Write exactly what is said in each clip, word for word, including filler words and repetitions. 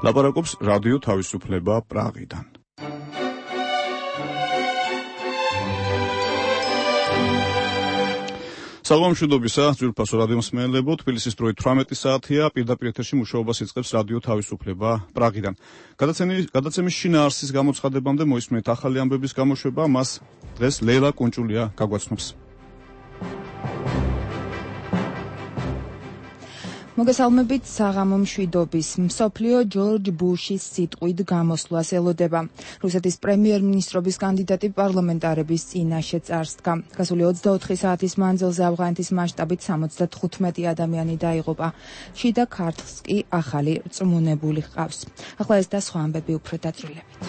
ლაპარაკობს რადიო თავისუფლება პრაღიდან. საღამომშვიდობისა, ძვირფასო რადიო მსმენელებო, თბილისის დროით თვრამეტი საათია, პირდაპირ ეთერში მუშაობას იწყებს რადიო თავისუფლება პრაღიდან. გადაცემის შინაარსის გამოცხადებამდე მოისმენთ ახალი ამბების გამოშვება, მას დღეს ლეილა კუნჭულია გაგვაცნობს. მოგესალმებით საღამომშვიდობის. მსოფლიო ჯორჯ ბუშის სიტყვით გამოსვლას ელოდება. რუსეთის პრემიერ-მინისტრობის კანდიდატი პარლამენტარების წინაშე წარსდგა. გასული ოცდაოთხი საათის მანძილზე ავღანეთის მასშტაბით სამოცდათხუთმეტი ადამიანი დაიღუპა. შიდა ქართლს კი ახალი რწმუნებული ჰყავს. ახლა ეს და სხვა ამბები უფრო დაწვრილებით.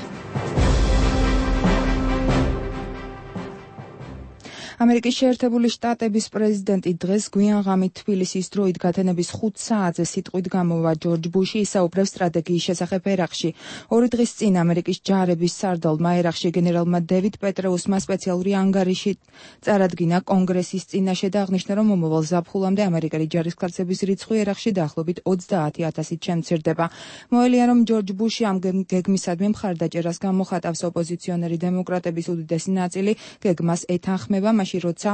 ამერიკის შეერთებული შტატების პრეზიდენტი დღეს გვიანღამით თბილისის დროით გათენების ხუთ საათზე სიტყვით გამოვა ჯორჯ ბუში ისაუბრებს სტრატეგიის შესახებ ერაყში. ორი დღის წინ ამერიკის ჯარების სარდალმა ერაყში გენერალმა დევიდ პეტრეუსმა სპეციალური ანგარიში წარადგინა კონგრესის წინაშე და აღნიშნა, რომ მომავალ ზაფხულამდე ამერიკელი ჯარისკაცების რიცხვი ერაყში დაახლოებით ოცდაათი ათასით შემცირდება. მოელია, რომ ჯორჯ ბუში ამ გეგმისადმი მხარდაჭერას გამოხატავს. ოპოზიციონერი დემოკრატების უდიდესი ნაწილი გეგმას ეთანხმება, მაშინ როცა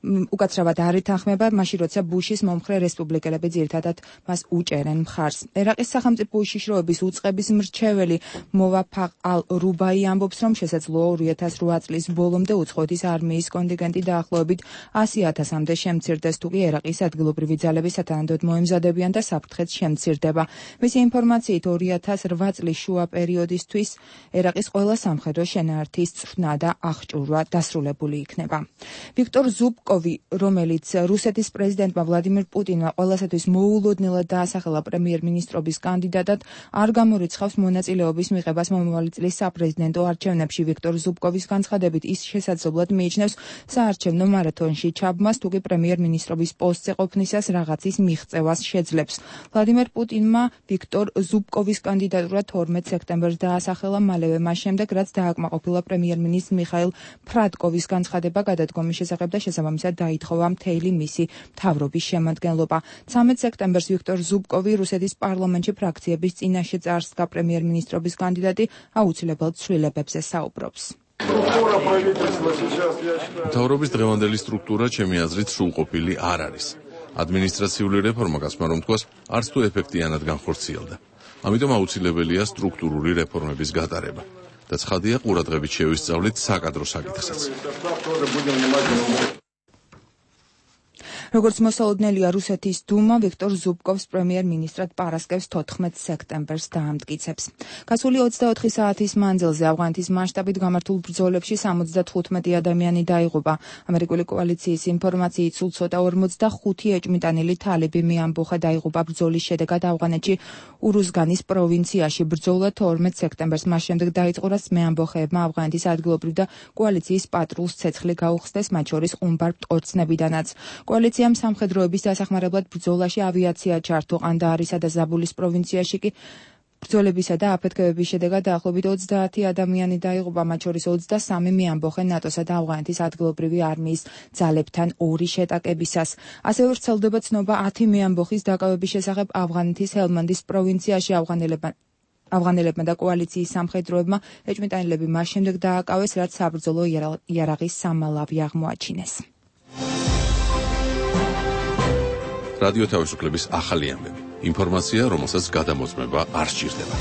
უკაცრავად არ ეთანხმება, მაშინ როცა ბუშის მომხრე რესპუბლიკელები ძირითადად მას უჭერენ მხარს. ერაყის სახელმწიფო უშიშროების უწყების მრჩეველი მოვაფაყ ალ-რუბაი ამბობს, რომ შესაძლოა ორი ათას რვა წლის ბოლომდე უცხოეთის არმიის კონტინგენტი დაახლოებით ასი ათასამდე შემცირდეს, თუკი ერაყის ადგილობრივი ძალები სათანადოდ მოემზადებიან და საფრთხეც შემცირდება. მისი ინფორმაციით ორი ათას რვა წლის შუა პერიოდისთვის ერაყის ყველა სამხედრო შენაერთის წვრთნა და აღჭურვა დასრულებული იქნება. ვიქტორ ზუბკოვი, რომელიც რუსეთის პრეზიდენტმა ვლადიმირ პუტინმა ყველასათვის მოულოდნელად დაასახელა პრემიერ-მინისტრობის კანდიდატად, არ გამორიცხავს მონაწილეობის მიღებას მომავალი წლის საპრეზიდენტო არჩევნებში. ვიქტორ ზუბკოვის განცხადებით, ის შესაძლებლად მიიჩნევს საარჩევნო მარათონში ჩაბმას, თუკი პრემიერ-მინისტრობის პოსტზე ყოფნისას რაღაცის მიღწევას შეძლებს. ვლადიმირ პუტინმა ვიქტორ ზუბკოვის კანდიდატურა თორმეტ სექტემბერს დაასახელა, მალევე მას შემდეგ, რაც დააკმაყოფილა პრემიერ-მინისტრ მიხაილ ფრადკოვის განცხადება გადადგომის შესახებ და შესაბამისად დაითხოვა მთელი მისი მთავრობის შემადგენლობა. ცამეტ სექტემბერს ვიქტორ ზუბკოვი რუსეთის პარლამენტში ფრაქციების წინაშე წარსდგა. პრემიერ-მინისტრობის კანდიდატი აუცილებელ ცვლილებებზე საუბრობს. მთავრობის დღევანდელი სტრუქტურა ჩემი აზრით სრულყოფილი არ არის. ადმინისტრაციული რეფორმა, გასმა რომ თქვას, არც თუ ეფექტიანად განხორციელდა. ამიტომ აუცილებელია სტრუქტურული რეფორმების გატარება. და ცხადია, ყურადღებით შევისწავლით საკადრო საკითხსაც. როგორც მოსალოდნელია, რუსეთის დუმა ვიქტორ ზუბკოვს პრემიერ-მინისტრად პარასკევს თოთხმეტ სექტემბერს დაამტკიცებს. გასული ოცდაოთხი საათის მანძილზე ავღანეთის მასშტაბით გამართულ ბრძოლებში სამოცდათხუთმეტი ადამიანი დაიღუპა. ამერიკული კოალიციის ინფორმაციით სულ ცოტა ორმოცდახუთი ეჭვმიტანილი თალიბი მეამბოხა დაიღუპა ბრძოლის შედეგად ავღანეთში ურუზგანის პროვინციაში. ბრძოლა თორმეტ სექტემბერს მას შემდეგ დაიწყო, რაც მეამბოხეებმა ავღანეთის ადგილობრივ და კოალიციის პატრულს ცეცხლი გაუხსნეს, მათ შორის ყუმბარ მტკორცნებიდანაც. კოალიციამ სამხედროების დასახმარებლად ბრძოლაში ავიაცია ჩართო. ყანდაარისა და ზაბულის პროვინციაში კი ბრძოლებისა და აფეთქებების შედეგად დაახლოებით ოცდაათი ადამიანი დაიღუპა, მათ შორის ოცდასამი მეამბოხე ნატოსა და ავღანეთის ადგილობრივი არმიის ძალებთან ორი შეტაკებისას. ასევე ვრცელდება ცნობა ათი მეამბოხის დაკავების შესახებ ავღანეთის ჰელმანდის პროვინციაში. ავღანელებმა ავღანელებმა და კოალიციის სამხედროებმა ეჭვმიტანილები მას შემდეგ დააკავეს, რაც საბრძოლო იარაღის სამალავი აღმოაჩინეს. რადიო თავისუფლების ახალი ამბები. ინფორმაცია, რომელსაც გადამოწმება არ სჭირდება.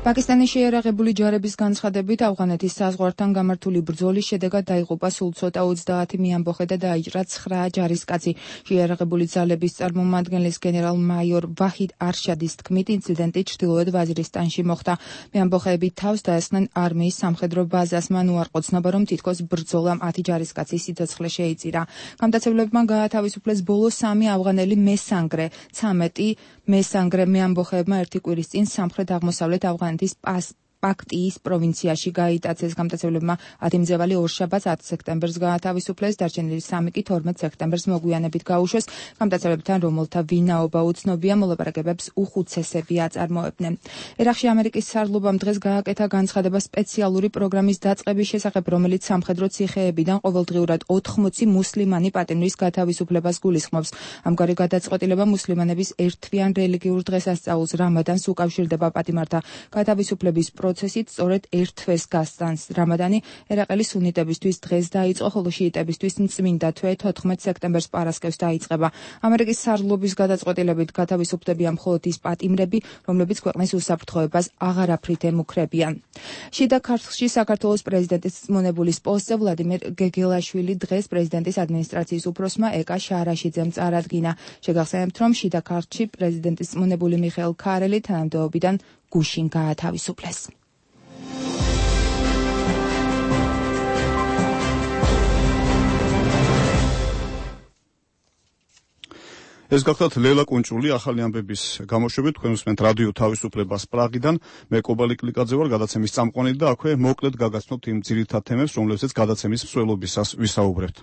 პაკისტანის შეიარაღებული ჯარების განცხადებით, ავღანეთის საზღვართან გამართული ბრძოლის შედეგად დაიღუპა სულ ცოტა ოცდაათი მეამბოხე და დაიჭრა ცხრა ჯარისკაცი. შეიარაღებული ძალების წარმომადგენლის გენერალ-მაიორ ვაჰიდ არშადის თქმით, ინციდენტი ჩრდილოეთ ვაზირისტანში მოხდა. მეამბოხეები თავს დაესხნენ არმიის სამხედრო ბაზას. მან უარყოცნობა, რომ თითქოს ბრძოლამ ათი ჯარისკაცის სიცოცხლე შეიწირა. გამტაცებლებმა გაათავისუფლეს ბოლო სამი ავღანელი მესანგრე. ცამეტი მესანგრე მეამბოხეებმა ერთი კვირის წინ სამხრეთ-აღმოსავლეთ ავღანეთის პას პაქტიის პროვინციაში გაიტაცეს. გამტაცებლებმა ათი მძევალი ორშაბათს ათ სექტემბერს გაათავისუფლეს, დარჩენილი სამი კი თორმეტ სექტემბერს მოგვიანებით გაუშვეს. გამტაცებლებთან, რომელთა ვინაობა უცნობია, მოლაპარაკებებს უხუცესები აწარმოებდნენ. ერაყში ამერიკის სარდლობამ დღეს გააკეთა განცხადება სპეციალური პროგრამის დაწყების შესახებ, რომელიც სამხედრო ციხეებიდან ყოველდღიურად ოთხმოცი მუსლიმანი პატიმრის გათავისუფლებას გულისხმობს. ამგვარი გადაწყვეტილება მუსლიმანების ერთთვიან რელიგიურ დღესასწაულს რამადანს უკავშირდება. პატიმართა გათავისუფლების პროცესით სწორედ ერთ თვეს გასტანს. რამადანი ერაყელი სუნიტებისთვის დღეს დაიწყო, ხოლო შიიტებისთვის წმინდა თვე თოთხმეტ სექტემბერს პარასკევს დაიწყება. ამერიკის სარდლობის გადაწყვეტილებით გათავისუფლებია მხოლოდ ის პატიმრები, რომლებიც ქვეყნის უსაფრთხოებას აღარაფრით ემუქრებიან. შიდა ქართლში საქართველოს პრეზიდენტის მონებულის პოსტზე ვლადიმერ გეგელაშვილი დღეს პრეზიდენტის ადმინისტრაციის უფროსმა ეკა შარაშიძემ წარადგინა. შეგახსენებთ, რომ შიდა ქართლში პრეზიდენტის მონებული მიხეილ ქარელი თანამდებობიდან გუშინ გაათავისუფლეს. ეს გახლავთ ლელა კუნჭული ახალი ამბების გამოშვებით. თქვენ უსმენთ რადიო თავისუფლებას პრაღიდან. მე კობალი კლიკაძე ვარ, გადაცემის წამყვანი და აქვე მოკლედ გაგაცნობთ იმ ძირითად თემებს, რომლებზეც გადაცემის მსვლელობისას ვისაუბრებთ.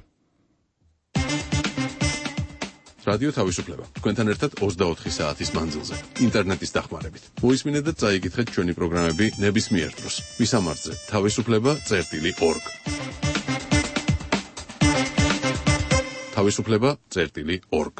რადიო თავისუფლება. თქვენთან ერთად ოცდაოთხი საათის მანძილზე, ინტერნეტის დახმარებით. მოისმინეთ და წაიგითხეთ ჩვენი პროგრამები ნებისმიერ დროს. ვისამართზე თავისუფლება წერტილი ორგ. თავისუფლება წერტილი ორგ.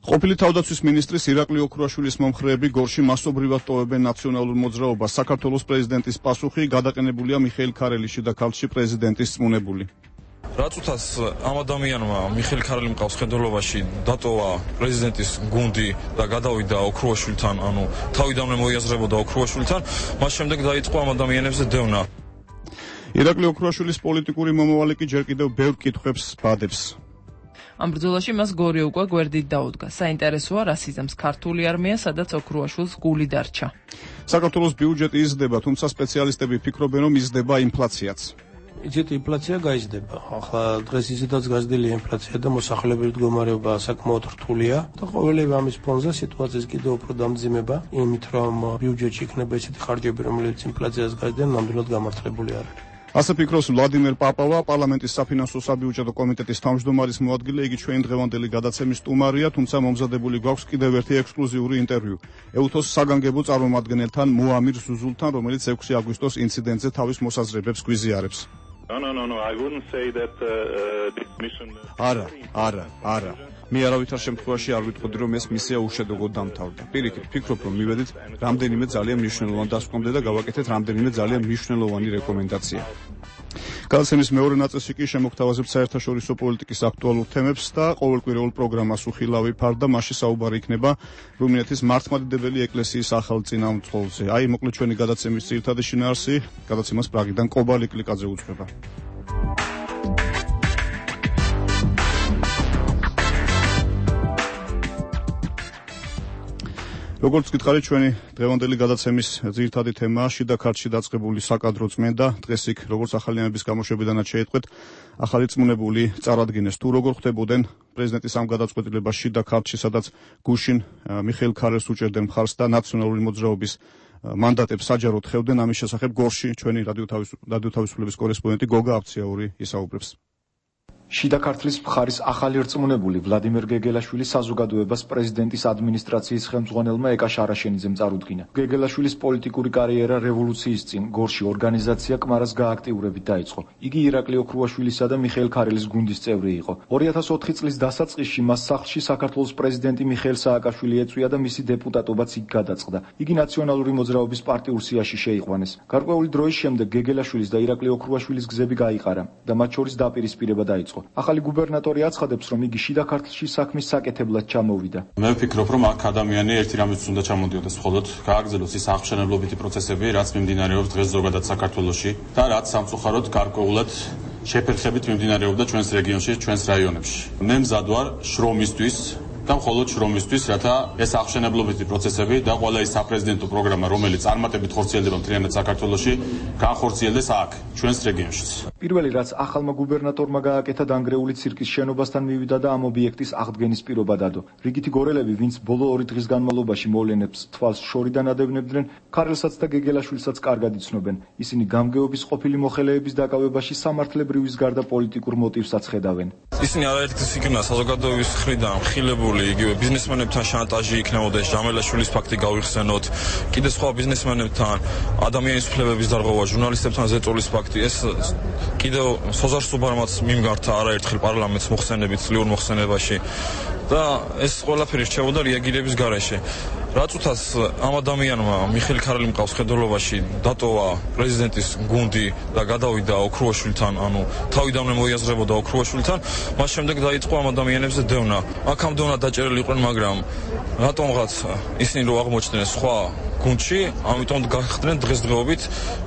ყოფილი თავდაცვის მინისტრის ირაკლი ოქრუაშვილის მომხრეები გორში მასობრივად ტოვებენ ნაციონალურ მოძრაობას. საქართველოს პრეზიდენტის პასუხი გადაყენებულია მიხეილ ქარელის შიდა ქართლში პრეზიდენტის წმუნებული. რაც უცას ამ ადამიანმა მიხეილ ქარელი მყავს ხედველობაში დატოვა პრეზიდენტის გუნდი და გადავიდა ოქრუაშვილთან, ანუ თავიდანვე მოიაზრებოდა ოქრუაშვილთან, მას შემდეგ დაიწყო ამ ადამიანებზე დევნა. ირაკლი ოქრუაშვილის პოლიტიკური მომავალი კი ჯერ კიდევ ბევრ კითხვებს ბადებს. ამ ბრძოლაში მას გორი უკვე გვერდით დაუდგა. საინტერესოა, რა სიზამს ქართული არმია, სადაც ოქრუაშვილს გული დარჩა. საქართველოს ბიუჯეტი იზრდება, თუმცა სპეციალისტები ფიქრობენ, რომ იზრდება ინფლაციაც. იცით, ინფლაცია გაიზრდება. ახლა დღეს ისედაც გაზრდილია ინფლაცია და მოსახლეობის მდგომარეობა საკმაოდ რთულია და ყოველივე ამის ფონზე სიტუაციის კიდევ უფრო დამძიმება, იმით რომ ბიუჯეტში იქნება ისეთი ხარჯები, რომელიც ინფლაციას გაიზრდიან, ნამდვილად გამართლებული არ არის. ასე ფიქრობს ვლადიმერ პაპავა, პარლამენტის საფინანსო საბიუჯეტო კომიტეტის თავმჯდომარის მოადგილე. იგი ჩვენ დღევანდელი გადაცემის სტუმარია, თუმცა მომზადებული გვაქვს კიდევ ერთი ექსკლუზიური ინტერვიუ ეუთოს საგანგებო წარმომადგენელთან მოამირ ზუზულთან, რომელიც ექვსი აგვისტოს ინციდენტზე თავის მოსაზრებებს გვიზიარებს. No, no, no, no. I wouldn't say that uh, this mission. არა, არა, არა. მე არავითარ შემთხვევაში არ ვიტყოდი, რომ ეს მისია უშედეგოდ დამთავრდა. პირიქით, ვფიქრობ, რომ მივედით რამდენიმე ძალიან მნიშვნელოვან დასკვნამდე და გავაკეთეთ რამდენიმე ძალიან მნიშვნელოვანი რეკომენდაცია. გადაცემის მეორე ნაწილში კი შემოგთავაზებთ საერთაშორისო პოლიტიკის აქტუალურ თემებს და ყოველკვირეულ პროგრამას უხილავი ფარდა, მასში საუბარი იქნება რუმინეთის მართლმადიდებელი ეკლესიის ახალ წინამძღოლზე. აი, მოკლედ ჩვენი გადაცემის ძირითადი შინაარსი, გადაცემას პრაღიდან კობალი კლიკაძე უძღვება. როგორც გითხარით, ჩვენი დღევანდელი გადაცემის ძირითადი თემაა შიდა ქართლში დაწყებული საკადრო წმენდა. დღეს იქ, როგორც ახალი ამბების გამოშვებიდანაც შეიტყვეთ, ახალი წმუნებული წარადგინეს. თუ როგორ ხდებოდნენ პრეზიდენტის ამ გადაწყვეტილებას შიდა ქართლში, სადაც გუშინ მიხეილ ქარელს უჭერდნენ მხარს და ნაციონალური მოძრაობის მანდატებს საჯაროდ ხევდნენ, ამის შესახებ გორში ჩვენი რადიო თავისუფლების კორესპონდენტი გოგა აფციაური ისაუბრებს. შიდა ქართლის მხარის ახალი რწმუნებული ვლადიმერ გეგელაშვილის საზოგადოებას პრეზიდენტის ადმინისტრაციის ხელმძღვანელმა ეკა შარაშენიძემ წარუდგინა. გეგელაშვილის პოლიტიკური კარიერა რევოლუციის წინ გორში ორგანიზაცია კმარას გააქტიურებით დაიწყო. იგი ირაკლი ოქრუაშვილისა და მიხეილ ქარელის გუნდის წევრი იყო. ორი ათას ოთხი წლის დასაწყისში მას სახლში საქართველოს პრეზიდენტი მიხეილ სააკაშვილი ეწვია და მისი დეპუტატობაც იქ გადაწყდა. იგი ნაციონალური მოძრაობის პარტიურ სიაში შეიყვანეს. გარკვეული დროის შემდეგ გეგელაშვილის და ირაკლი ოქრუაშვილის გზები გაიყარა და მათ შორის დაპირისპირება დაიწყო. ახალი გუბერნატორი აცხადებს, რომ იგი შიდა ქართლში საქმის საკეთებლად ჩამოვიდა. მე ვფიქრობ, რომ აქ ადამიანი ერთი რამის უნდა ჩამოდიოდეს, მხოლოდ გააგრძელოს ის აღმშენებლობითი პროცესები, რაც მიმდინარეობს დღეს ზოგადად საქართველოში და რაც სამწუხაროდ გარკვეულად შეფერხებით მიმდინარეობდა ჩვენს რეგიონში, ჩვენს რაიონებში. მე მზად ვარ შრომისთვის და მხოლოდ შრომისთვის, რათა ეს აღშენებლობითი პროცესები და ყველა ის საპრეზიდენტო პროგრამა, რომელიც წარმატებით ხორციელდება მთლიანად საქართველოში, განხორციელდეს აქ, ჩვენს რეგიონშიც. პირველი რაც ახალმა გუბერნატორმა გააკეთა დანგრეული ცირკის შენობასთან მივიდა და ამ ობიექტის აღდგენის პირობა დადო. რიგითი გორელები, ვინც ბოლო ორი დღის განმავლობაში მოვლენებს თვალს შორიდან ადევნებდნენ, ქარელსაც და გეგელაშვილსაც კარგად იცნობენ. ისინი გამგეობის ყოფილი მოხელეების დაკავებაში სამართლებრივის გარდა პოლიტიკურ მოტივსაც ხედავენ. ისინი არაერთგზის იქნა საზოგადოების მხრიდან ხილებული, იგივე ბიზნესმენებთან შანტაჟი იქნებოდეს, ჟამელაშვილის ფაქტი გავიხსენოთ, კიდე სხვა ბიზნესმენებთან ადამიანის უფლებების დარღვევა, ჟურნალისტებთან ზეწოლის ფაქტი, ეს კიდევ სოზარ სუბარმაც მიმგართა არაერთხელ პარლამენტს მოხსენებით წლიურ მოხსენებაში და ეს ყველაფერი რჩებოდა რეაგირების გარეშე. რაც უთას ამ ადამიანმა მიხეილ ქარელი მყავს ხედველობაში დატოვა პრეზიდენტის გუნდი და გადავიდა ოქრუაშვილთან, ანუ თავიდანვე მოიაზრებოდა ოქრუაშვილთან, მას შემდეგ დაიწყო ამ ადამიანებზე დევნა. აქ ამ დევნა დაჭერილი იყვნენ, მაგრამ რატომღაც ისინი რო აღმოჩნდნენ სხვა გუნდში, ამიტომ გახდნენ დღესდღეობით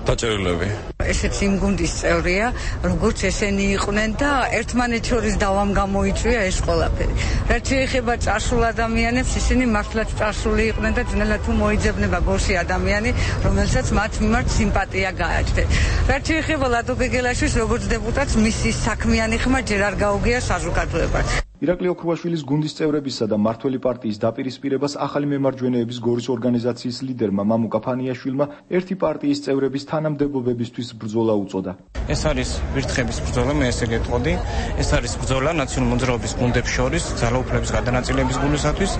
დაჭერილები. ესეც იმ გუნდის წევრია, როგორც ესენი იყვნენ და ერთმანეთს შორის დავამ გამოიწვია ეს ყველაფერი. რაც შეეხება წარსულ ადამიანებს, ისინი მართლაც წარსული იყვნენ და ძნელად თუ მოიძებნება ბოსი ადამიანი, რომელსაც მათ მიმართ სიმპათია გააჩნდათ. რაც შეეხება ლადო გეგელაშვილს, როგორც დეპუტატს, მისი საქმიანი ხმა ჯერ არ გაუგია საზოგადოებას. ირაკლი ოქრუაშვილის გუნდის წევრებისა და მართველი პარტიის დაპირისპირებას ახალი მემარჯვენეების გორის ორგანიზაციის ლიდერმა მამუკა ფანიაშვილმა ერთი პარტიის წევრების თანამდებობებისთვის ბრძოლა უწოდა. ეს არის ვირთხების ბრძოლა, მე ესე გეტყოდი. ეს არის ბრძოლა ნაციონალური მოძრაობის გუნდებს შორის ძალაუფლების გადანაწილების გულისათვის.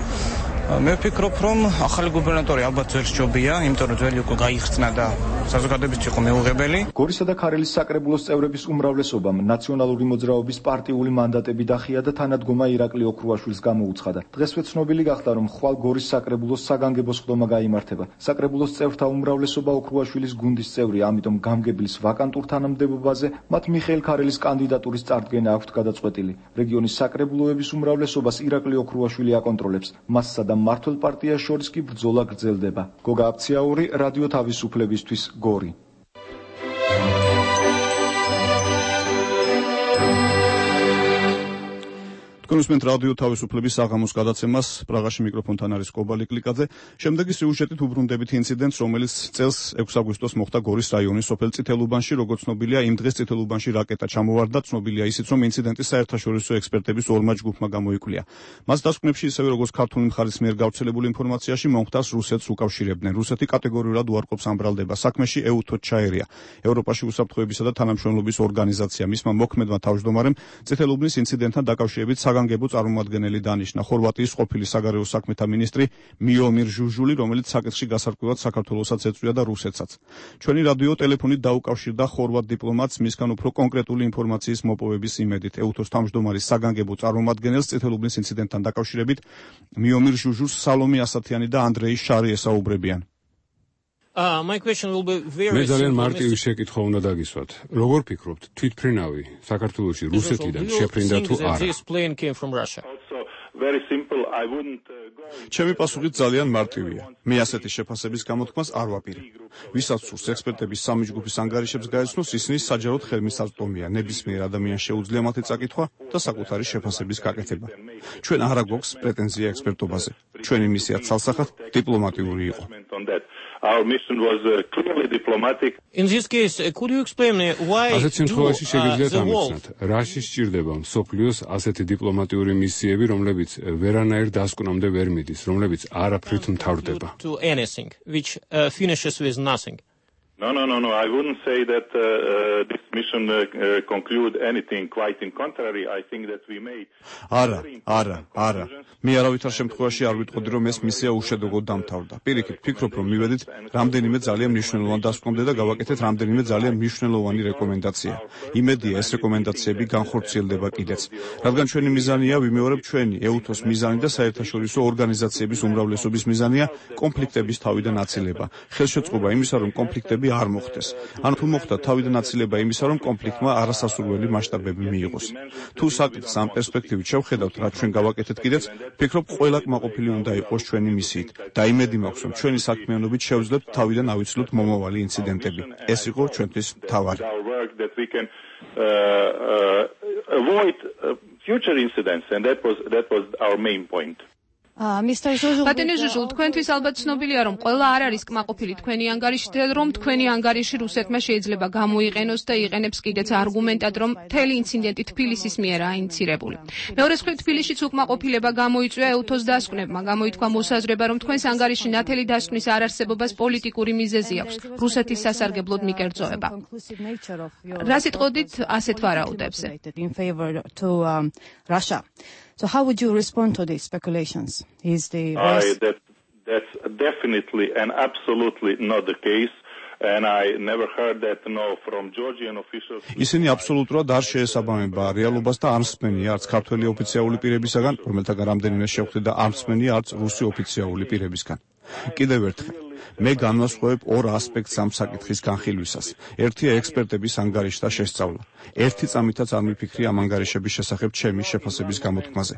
მე ვფიქრობ, რომ ახალი გუბერნატორი ალბათ ძველ სჯობია, იმიტომ რომ ძველი უკვე გაიხსნა და საზოგადოებისთვის იყო მეუღებელი. გორისა და ქარელის საკრებულოს წევრების უმრავლესობამ ნაციონალური მოძრაობის პარტიული მანდატები დახია და თანადგომა ირაკლი ოქრუაშვილს გამოუცხადა. დღესვე ცნობილი გახდა, რომ ხვალ გორის საკრებულოს საგანგებო სხდომა გაიმართება. საკრებულოს წევრთა უმრავლესობა ოქრუაშვილის გუნდის წევრია, ამიტომ გამგებლის ვაკანტურ თანამდებობაზე მათ მიხეილ ქარელის კანდიდატურის წარდგენა აქვთ გადაწყვეტილი. რეგიონის საკრებულოების უმრავლესობას ირაკლი ოქრუაშვილი აკონტროლებს. მასსა და მართლ პარტიას შორის კი ბრძოლა გრძელდება. გოგა აფციაური, რადიო თავისუფლებისთვის, გორი. კონსუმენტ რადიო თავისუფლების საღამოს გადაცემას პრაღაში მიკროფონთან არის კობალი კლიკაძე. შემდეგი სიუჟეტით უბრუნდებით ინციდენტს, რომელიც წელს ექვსი აგვისტოს მოხდა გორის რაიონის სოფელ წითელუბანში, როგორც ცნობილია, იმ დღეს წითელუბანში რაკეტა ჩამოვარდა, ცნობილია ისიც, რომ ინციდენტი საერთაშორისო ექსპერტების ორმა ჯგუფმა გამოიკვლია. მას დასკვნებში, ისევე როგორც ქართული მხარის მიერ გავრცელებული ინფორმაციაში, მომხდარს რუსეთს უკავშირებდნენ. რუსეთი კატეგორიულად უარყოფს ამ ბრალდება საქმეში, ეუთოდ ჩაერია. ევროპაში უსაფრთხოებისა და თანამშრომლობის ორგანიზაცია მისმა მოქმედმა თავმჯდომარემ წითელუბნის ინციდენტთან დაკავშირებით საგანგებო წარმომადგენელი დანიშნა. ხორვატიის ყოფილი საგარეო საქმეთა მინისტრი მიომირ ჟუჟული, რომელიც საკითხში გასარკვევად საქართველოსაც ეწვია და რუსეთსაც. ჩვენი რადიო ტელეფონით დაუკავშირდა ხორვატ დიპლომატს მისგან უფრო კონკრეტული ინფორმაციის მოპოვების იმედით. ეუთოს თავმჯდომარის საგანგებო წარმომადგენელს წითელუბნის ინციდენტთან დაკავშირებით მიომირ ჟუჟულს სალომე ასათიანი და ანდრეი შარი ესაუბრებიან. Uh, my question will be very მე ძალიან მარტივი შეკითხვა უნდა დაგისვათ. როგორ ფიქრობთ, თვითმფრინავი საქართველოში რუსეთიდან შეფრინდა თუ არა? Very simple. I wouldn't uh, go. ჩემი პასუხი ძალიან მარტივია. მე ასეთი შეფასების გამოთქმას არ ვაპირებ. ვისაც სურს ექსპერტების სამი ჯგუფის ანგარიშებს გაეცნოს, ისინი საჯაროდ ხელმისაწვდომია. ნებისმიერ ადამიანს შეუძლია მათი წაკითხვა და საკუთარი შეფასების გაკეთება. ჩვენ არ გვაქვს პრეტენზია ექსპერტობაზე. ჩვენი მისია ცალსახად დიპლომატიური იყო. Our mission was uh, clearly diplomatic. In this case, uh, could you explain me why ასეთ შემთხვევაში შეგიძლიათ ამიცნოთ, რაში სჭირდება მსოფლიოს ასეთი დიპლომატიური მისიები, რომლებიც ვერანაირ დასკვნამდე ვერ მიდის, რომლებიც არაფრით მთავრდება. To anything which uh, finishes with nothing. No, no, no, no. I wouldn't say that uh, uh, this mission uh, uh, conclude anything. Quite in contrary, I think that we made. არა, არა, არა. მე არავითარ შემთხვევაში არ ვიტყოდი, რომ ეს მისია უშედეგოდ დამთავრდა. პირიქით, ვფიქრობ, რომ მივედით რამდენიმე ძალიან მნიშვნელოვან დასკვნამდე და გავაკეთეთ რამდენიმე ძალიან მნიშვნელოვანი რეკომენდაცია. იმედია, ეს რეკომენდაციები განხორციელდება კიდეც. რადგან ჩვენი მიზანია, ვიმეორებ ჩვენი ეუთოს მიზანი და საერთაშორისო ორგანიზაციების უმრავლესობის მიზანია კონფლიქტების თავიდან აცილება. ხელშეწყობა იმისა, რომ კონფლიქტები არ მოხდეს. ან თუ მოხდა თავიდან აცილება იმისა, რომ კონფლიქტმა არასასურველი მასშტაბები მიიღოს. თუ საკითხს ამ პერსპექტივით შევხედავთ, რაც ჩვენ გავაკეთეთ კიდეც, ვფიქრობ, ყველა კმაყოფილი უნდა იყოს ჩვენი მისიით და იმედი მაქვს, რომ ჩვენი საქმიანობით შევძლებთ თავიდან ავიცილოთ მომავალი ინციდენტები. ეს იყო ჩვენთვის მთავარი. Our work that we can uh, uh, avoid uh, future incidents, and that was that was our main point. ბატონი ჟუჟულ, თქვენთვის ალბათ ცნობილია, რომ ყველა არ არის კმაყოფილი თქვენი ანგარიში და რომ თქვენი ანგარიში რუსეთმა შეიძლება გამოიყენოს და იყენებს კიდეც არგუმენტად, რომ მთელი ინციდენტი თბილისის მიერაა ინიცირებული. მეორე მხრივ, თბილისშიც უკმაყოფილება გამოიწვია ელთოს დასკვნებმა, გამოითქვა მოსაზრება, რომ თქვენს ანგარიში ნათელი დასკვნის არარსებობას პოლიტიკური მიზეზი აქვს, რუსეთის სასარგებლოდ მიკერძოება. რა სიტყვოდით ასეთ ვარაუდებზე? So how would you respond to these speculations? Is the I, that, that's definitely and absolutely not the case. And I never heard that no from Georgian officials. ისინი აბსოლუტურად არ შეესაბამება რეალობას და არ მსმენია არც ქართველი ოფიციალური პირებისაგან, რომელთაგან რამდენიმე შევხვდით და არ მსმენია არც რუსი ოფიციალური პირებისგან. კიდევ ერთხელ, მე განვასხვავებ ორ ასპექტს ამ საკითხის განხილვისას. ერთია ექსპერტების ანგარიშთა შესწავლა. ერთი წამითაც არ მიფიქრი ამ ანგარიშების შესახებ ჩემი შეფასების გამოთქმაზე.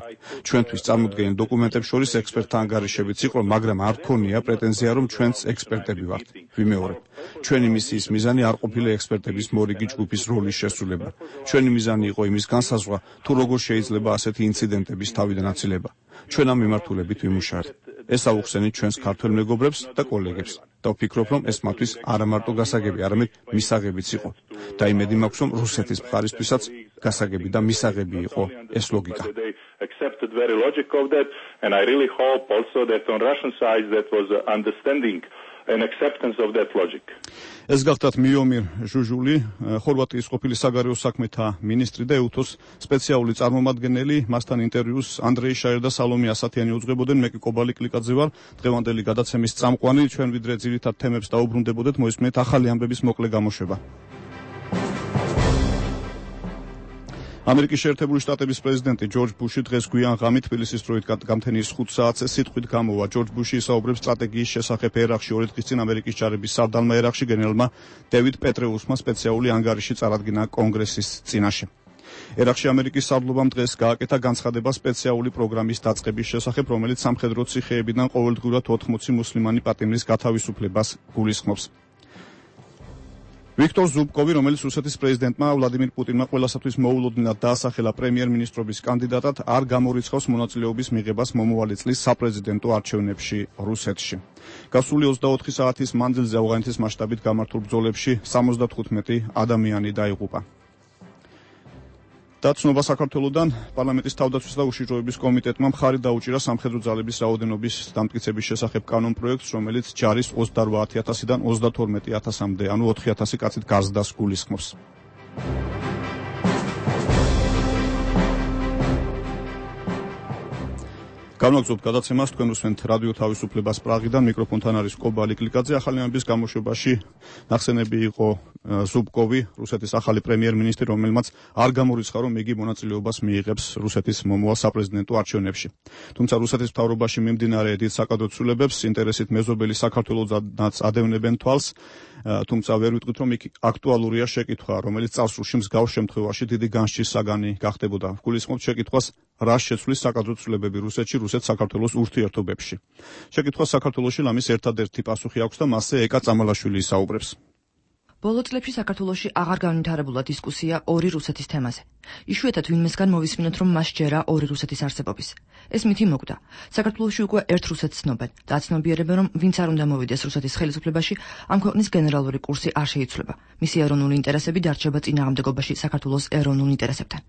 ჩვენთვის წარმოდგენილ დოკუმენტებს შორის ექსპერტთა ანგარიშებიც იყო, მაგრამ არ გქონია პრეტენზია, რომ ჩვენც ექსპერტები ვართ. ვიმეორებ, ჩვენი მისიის მიზანი არ ყოფილა ექსპერტების მორიგი ჯგუფის როლის შესრულება. ჩვენი მიზანი იყო იმის განსაზღვრა, თუ როგორ შეიძლება ასეთი ინციდენტების თავიდან აცილება. ჩვენ ამ მიმართულებით ვიმუშაებთ. ეს აუხსენით ჩვენს ქართველ მეგობრებს და კოლეგებს და ვფიქრობ, რომ ეს მათთვის არა მარტო გასაგები, არამედ მისაღებიც იყო. და იმედი მაქვს, რომ რუსეთის მხარისთვისაც გასაგები და მისაღები იყო ეს ლოგიკა. Accepted very logic of that, and I really hope also that on Russian side that was understanding and acceptance of that logic. ეს გახდათ მიომირ ჟუჟული, ხორვატიის ყოფილი საგარეო საქმეთა მინისტრი და ელთოს სპეციალური წარმომადგენელი. მასთან ინტერვიუს ანდრეი შაერ და სალომე ასათიანი უძღვებოდნენ. მე კი კობალი კლიკაძე ვარ. დღევანდელი გადაცემის წამყვანი. ჩვენ ვიდრე ძირითად თემებს დაუბრუნდებოდეთ, მოისმენთ ახალი ამბების მოკლე გამოშვება. ამერიკის შეერთებული შტატების პრეზიდენტი ჯორჯ ბუში დღეს გვიან ღამით თბილისის დროით გამთენის ხუთ საათზე სიტყვით გამოვა. ჯორჯ ბუში ისაუბრებს სტრატეგიის შესახებ ერაყში. ორი დღის წინ ამერიკის ჯარების სარდალმა ერაყში გენერალმა დევიდ პეტრეუსმა სპეციალური ანგარიში წარადგინა კონგრესის წინაშე. ერაყში ამერიკის სარდლობამ დღეს გააკეთა განცხადება სპეციალური პროგრამის დაწყების შესახებ, რომელიც სამხედრო ციხეებიდან ყოველდღურად ოთხმოცი მუსლიმანი პატიმრის გათავისუფლებას გულისხმობს. ვიქტორ ზუბკოვი, რომელიც რუსეთის პრეზიდენტმა ვლადიმირ პუტინმა ყველასათვის მოულოდნელად დაასახელა პრემიერ-მინისტრობის კანდიდატად, არ გამორიცხავს მონაწილეობის მიღებას მომავალი წლის საპრეზიდენტო არჩევნებში რუსეთში. გასული ოცდაოთხი საათის მანძილზე ავღანეთის მასშტაბით გამართულ ბრძოლებში სამოცდათხუთმეტი ადამიანი დაიღუპა. და ცნობა საქართველოდან პარლამენტის თავდაცვის და უშიშროების კომიტეტმა მხარი დაუჭირა სამხედრო ძალების რაოდენობის დამტკიცების შესახებ კანონპროექტს, რომელიც ჯარის ოცდაოთხ ათასიდან ოცდათორმეტი ათასამდე, ანუ ოთხი ათასი კაცით გაზრდას გულისხმობს. განვაგრძობთ გადაცემას, თქვენ უსმენთ რადიო თავისუფლებას პრაღიდან, მიკროფონთან არის კობალი კლიკაძე. ახალი ამბების გამოშვებაში ნახსენები იყო ზუბკოვი, რუსეთის ახალი პრემიერ-მინისტრი, რომელმაც არ გამორიცხა, რომ იგი მონაწილეობას მიიღებს რუსეთის მომავალ საპრეზიდენტო არჩევნებში. თუმცა რუსეთის მთავრობაში მიმდინარე დიდ საკადრო ცვლილებებს ინტერესით მეზობელი საქართველოდანაც ადევნებენ თვალს, თუმცა ვერ ვიტყვით, რომ იქ აქტუალურია შეკითხვა, რომელიც წარსულში მსგავს შემთხვევაში დიდი განსჯის საგანი გახდებოდა. გულისხმობთ შეკითხვას, რა შეცვლის საკადრო ცვლილებები რუსეთში, რუსეთ-საქართველოს ურთიერთობებში. შეკითხვას საქართველოში ლამის ერთადერთი პასუხი აქვს და მასზე ეკა წამალაშვილი ისაუბრებს. ბოლო წლებში საქართველოში აღარ განვითარებულა დისკუსია ორი რუსეთის თემაზე. იშვიათად ვინმესგან მოვისმინოთ, რომ მას ჯერა ორი რუსეთის არსებობის. ეს მითი მოკვდა. საქართველოში უკვე ერთ რუსეთს ცნობენ და აცნობიერებენ, რომ ვინც არ უნდა მოვიდეს რუსეთის ხელისუფლებაში, ამ ქვეყნის გენერალური კურსი არ შეიცვლება. მისი ეროვნული ინტერესები დარჩება წინააღმდეგობაში საქართველოს ეროვნულ ინტერესებთან.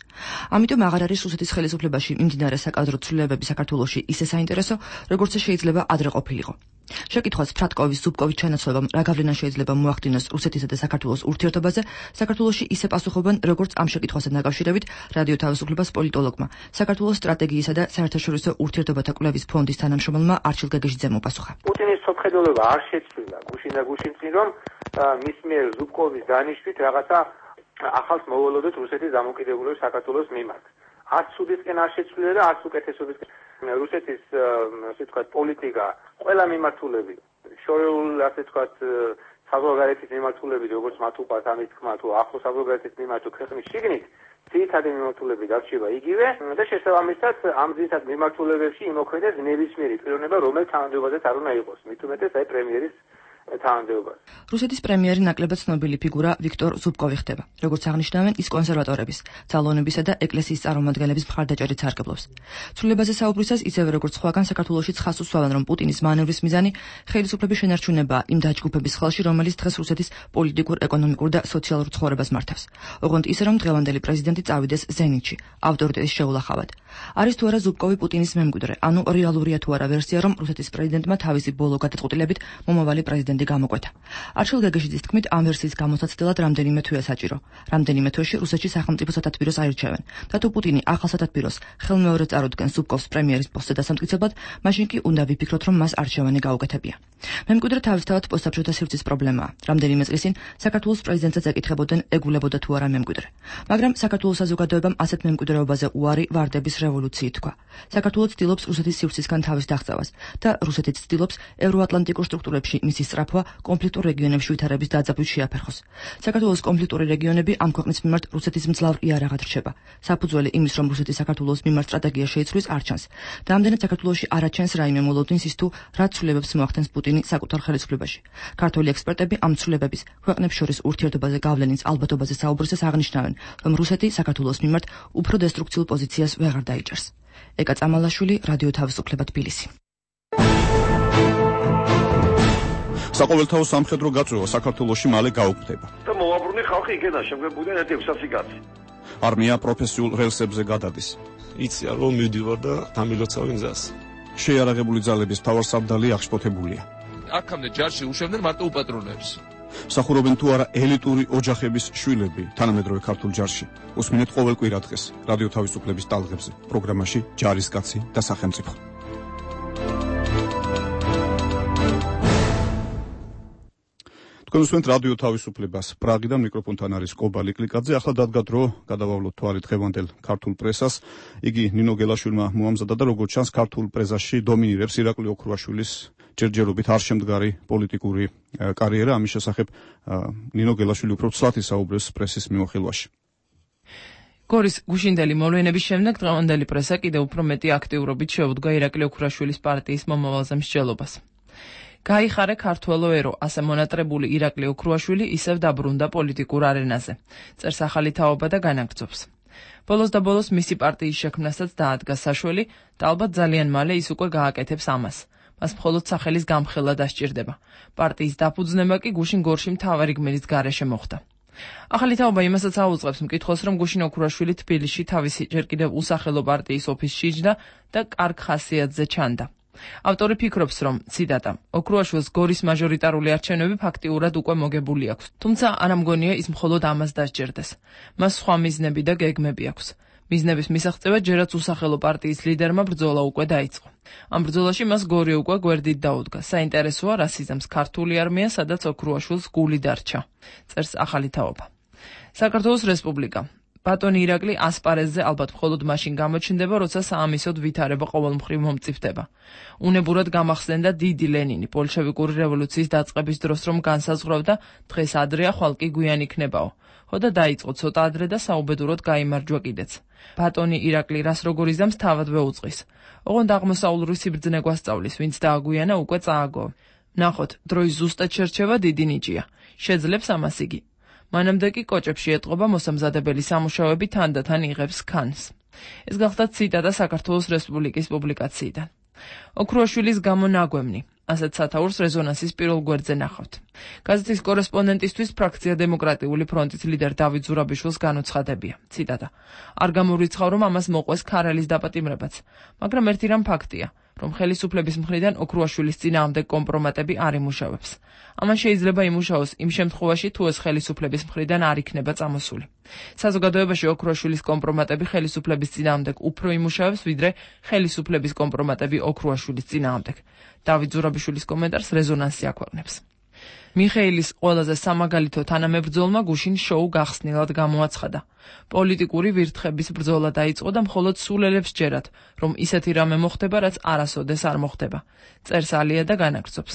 ამიტომ აღარ არის რუსეთის ხელისუფლებაში მიმდინარე საკადრო ცვლილებები საქართველოში ისე საინტერესო, როგორც შეიძლება ადრე ყოფილიყო. შეკითხვას ფრატკოვის ზუბკოვის ჩანაცვლებამ რა გავლენა შეიძლება მოახდინოს რუსეთისა და საქართველოს ურთიერთობაზე, საქართველოში ისე პასუხობენ, როგორც ამ შეკითხვასთან დაკავშირებით რადიო თავისუფლებას პოლიტოლოგმა, საქართველოს სტრატეგიისა და საერთაშორისო ურთიერთობათა კვლევის ფონდის თანამშრომელმა არჩილ გეგეშიძემ უპასუხა. პუტინის სოფხედელობა არ შეცვლილა გუშინ და გუშინ წინ, რომ მის მიერ ზუბკოვის დანიშვნით რაღაცა ახალს მოველოდოთ რუსეთის დამოუკიდებლობის საქართველოს მიმართ. არც სუდისკენ არ შეცვლილა და არც უკეთესობისკენ. რუსეთის ასე ვთქვათ პოლიტიკა ყველა მიმართულებით შორეულ ასე ვთქვათ საზღვარგარეთის მიმართულებით, როგორც მათ უყვართ ამის თქმა, თუ ახლო საზღვარგარეთის მიმართ ქვეყნის შიგნით ძირითადი მიმართულებით დარჩება იგივე და შესაბამისად ამ ძირითად მიმართულებებში იმოქმედებს ნებისმიერი პიროვნება, რომელიც თანამდებობაზე არ უნდა იყოს. მით უმეტეს აი პრემიერის თანამდებობას. რუსეთის პრემიერი ნაკლებად ცნობილი ფიგურა ვიქტორ ზუბკოვი ხდება. როგორც აღნიშნავენ, ის კონსერვატორების, ძალოვნებისა და ეკლესიის წარმომადგენლების მხარდაჭერით სარგებლობს. ცვლილებაზე საუბრისას ისევე როგორც სხვაგან საქართველოშიც ხაზს უსვამენ, რომ პუტინის მანევრის მიზანი ხელისუფლების შენარჩუნებაა იმ დაჯგუფების ხელში, რომელიც დღეს რუსეთის პოლიტიკურ, ეკონომიკურ და სოციალურ ცხოვრებას მართავს. ოღონდ ისე, რომ დღევანდელი პრეზიდენტი წავიდეს ზენიტში, ავტორიტეტის შეულახავად. არის თუ არა ზუბკოვი პუტინის მემკვიდრე, ანუ რეალურია თუ არა ვერსია, რომ რუსეთის პრეზიდენტმა თავისი ბოლო გადაწყვეტილებით მომავალი პრეზიდენტი გამოკვეთა. არჩილ გეგეშიძის თქმით, ამ ვერსიის გამოსაცდელად რამდენიმე თვეა საჭირო. რამდენიმე თვეში რუსეთში სახელმწიფო სათათბიროს აირჩევენ. და თუ პუტინი ახალ სათათბიროს ხელმეორედ წარუდგენს ზუბკოვს პრემიერის პოსტზე დასამტკიცებლად, მაშინ კი უნდა ვიფიქროთ, რომ მას არჩევანი გაუკეთებია. მემკვიდრე თავისთავად პოსტსაბჭოთა სივრცის პრობლემაა. რამდენიმე წლის წინ საქართველოს პრეზიდენტსაც ეკითხებოდნენ, ეგულებოდა თუ არა მემკვიდრე. მაგრამ საქართველოს საზოგადოებამ ასეთ მემკვიდრეობაზე უარი ვარდების რევოლუციით თქვა. საქართველოს ცდილობს რუსეთის სივრცისგან თავის დაღწევას და რუსეთიც ცდილობს ევროატლანტიკურ სტრუქტურებში მისი სწრაფვა კონფლიქტურ რეგიონებში ვითარების დაძაბვით შეაფერხოს. საქართველოს კონფლიქტური რეგიონები ამ ქვეყნის მიმართ რუსეთის მძლავრ იარაღად რჩება. საფუძველი იმის, რომ რუსეთი საქართველოს მიმართ სტრატეგია შეიცვლის, არ ჩანს. და ამდენად საქართველოში არ აჩენს რაიმე მოლოდინს ის თუ რა ცვლილებებს მოახდენს პუტინი საკუთარ ხელისუფლებაში. ქართველი ექსპერტები ამ ცვლილებების ქვეყნებს შორის ურთიერთობაზე გავლენის ალბათობაზე საუბრისას აღნიშნავენ, რომ რუსეთი საქართველოს მიმართ უფრო დესტრუქციულ პოზიციას ვეღარ დაიჭერს. ეკა წამალაშვილი, რადიო თავისუფლება თბილისი. საყოველთაო სამხედრო გაწვევა საქართველოში მალე გაუქმდება. და მოვაბრუნე ხალხი იქიდან შემგებოდნენ ერთ ექვსი კაცი. არმია პროფესიულ რელსებზე გადადის. იცი რომ მივდივარ და დამილოცავი გზას. შეიარაღებული ძალების მთავარსარდალი აღშფოთებულია. აქამდე ჯარში უშვებდნენ მარტო უპატრონებს. სახურობენ თუ არა ელიტური ოჯახების შვილები თანამედროვე ქართულ ჯარში. უსმინეთ ყოველ კვირა დღეს რადიო თავისუფლების ტალღებზე პროგრამაში ჯარისკაცი და სახელმწიფო. თქვენ უსმენთ რადიო თავისუფლებას. პრაღიდან მიკროფონთან არის კობალი კლიკაძე. ახლა დადგა დრო გადავავლოთ თვალი დღევანდელ ქართულ პრესას. იგი ნინო გელაშვილმა მოამზადა და როგორც ჩანს ქართულ პრესაში დომინირებს ირაკლი ოქრუაშვილის ჯერჯერობით არ შემდგარი პოლიტიკური კარიერა. ამის შესახებ ნინო გელაშვილი უფრო ცლად ისაუბრებს პრესის მიმოხილვაში. გორის გუშინდელი მოვლენების შემდეგ დღევანდელი პრესა კიდევ უფრო მეტი აქტიურობით შეუდგა ირაკლი ოქრუაშვილის პარტიის მომავალზე მსჯელობას. გაიხარე ქართველო ერო, ასე მონატრებული ირაკლი ოქრუაშვილი ისევ დაბრუნდა პოლიტიკურ არენაზე. წერს ახალი თაობა და განაგრძობს. ბოლოს და ბოლოს მისი პარტიის შექმნასაც დაადგა საშველი და ალბათ ძალიან მალე ის უკვე გააკეთებს ამას. მას მხოლოდ სახელის გამხელა დასჭირდება. პარტიის დაფუძნება კი გუშინ გორში მთავარი გმირის გარეშე მოხდა. ახალი თაობა იმასაც აუწყებს მკითხველს, რომ გუშინ ოქრუაშვილი თბილისში თავისი ჯერ კიდევ usახელო პარტიის ოფისში იჯდა და კარგ ხასიათზე ჩანდა. ავტორი ფიქრობს, რომ ციტატა ოქრუაშვილს გორის მაჟორიტარული არჩევნები ფაქტიურად უკვე მოგებული აქვს, თუმცა არ ამგონია ის მხოლოდ ამას დასჯერდეს. მას სხვა მიზნები და გეგმები აქვს. მიზნების მისაღწევად ჯერაც usახელო პარტიის ლიდერმა ბრძოლა უკვე დაიწყო. ამ ბრძოლაში მას გორი უკვე გვერდით დაუდგა. საინტერესოა რა სიზამს ქართული არმია, სადაც ოქრუაშვილს გული დარჩა. წერს ახალი თაობა. საქართველოს რესპუბლიკა. ბატონი ირაკლი ასპარეზზე ალბათ მხოლოდ მაშინ გამოჩნდება, როცა საამისოდ ვითარება ყოველმხრივ მომწიფდება. უნებურად გამახსენდა დიდი ლენინი ბოლშევიკური რევოლუციის დაწყების დროს, რომ განსაზღვრავდა დღეს ადრეა, ხვალ კი გვიან იქნებაო. ხო და დაიწყო ცოტა ადრე და საუბედუროდ გაიმარჯვა კიდეც. ბატონი ირაკლი რას როგორ იზამს თავადვე უწყის. ოღონდ აღმოსავლური სიბრძნე გვასწავლის, ვინც დააგვიანა უკვე წააგო. ნახოთ, დროის ზუსტად შერჩევა დიდი ნიჭია. შეძლებს ამას იგი. მანამდე კი კოჭებში ეტყობა მოსამზადებელი სამუშაოები თანდათან იღებს ქანს. ეს გახდა ციტატა საქართველოს რესპუბლიკის პუბლიკაციიდან. ოქრუაშვილის გამო ნაგვემნი. ასეთ სათაურს რეზონანსის პირველ გვერდზე ნახავთ. გაზეთის კორესპონდენტისთვის ფრაქცია დემოკრატიული ფრონტის ლიდერ დავით ზურაბიშვილს განუცხადებია. ციტატა. არ გამორიცხავ, რომ ამას მოყვეს ქარელის დაპატიმრებაც, მაგრამ ერთი რამ ფაქტია, რომ ხელისუფლების მხრიდან ოქრუაშვილის წინააღმდეგ კომპრომატები არ იმუშავებს. ამან შეიძლება იმუშაოს იმ შემთხვევაში, თუ ეს ხელისუფლების მხრიდან არ იქნება წამოსული. საზოგადოებაში ოქრუაშვილის კომპრომატები ხელისუფლების წინააღმდეგ უფრო იმუშავებს, ვიდრე ხელისუფლების კომპრომატები ოქრუაშვილის წინააღმდეგ. დავით ზურაბიშვილის კომენტარს რეზონანსი აქვეყნებს. მიხეილის ყველაზე სამაგალითო თანამებრძოლმა გუშინ შოუ გახსნილად გამოაცხადა. პოლიტიკური ვირთხების ბრძოლა დაიწყო და მხოლოდ სულელებს ჯერათ, რომ ისეთი რამე მოხდება, რაც არასოდეს არ მოხდება. წერს ალია და განაგრძობს.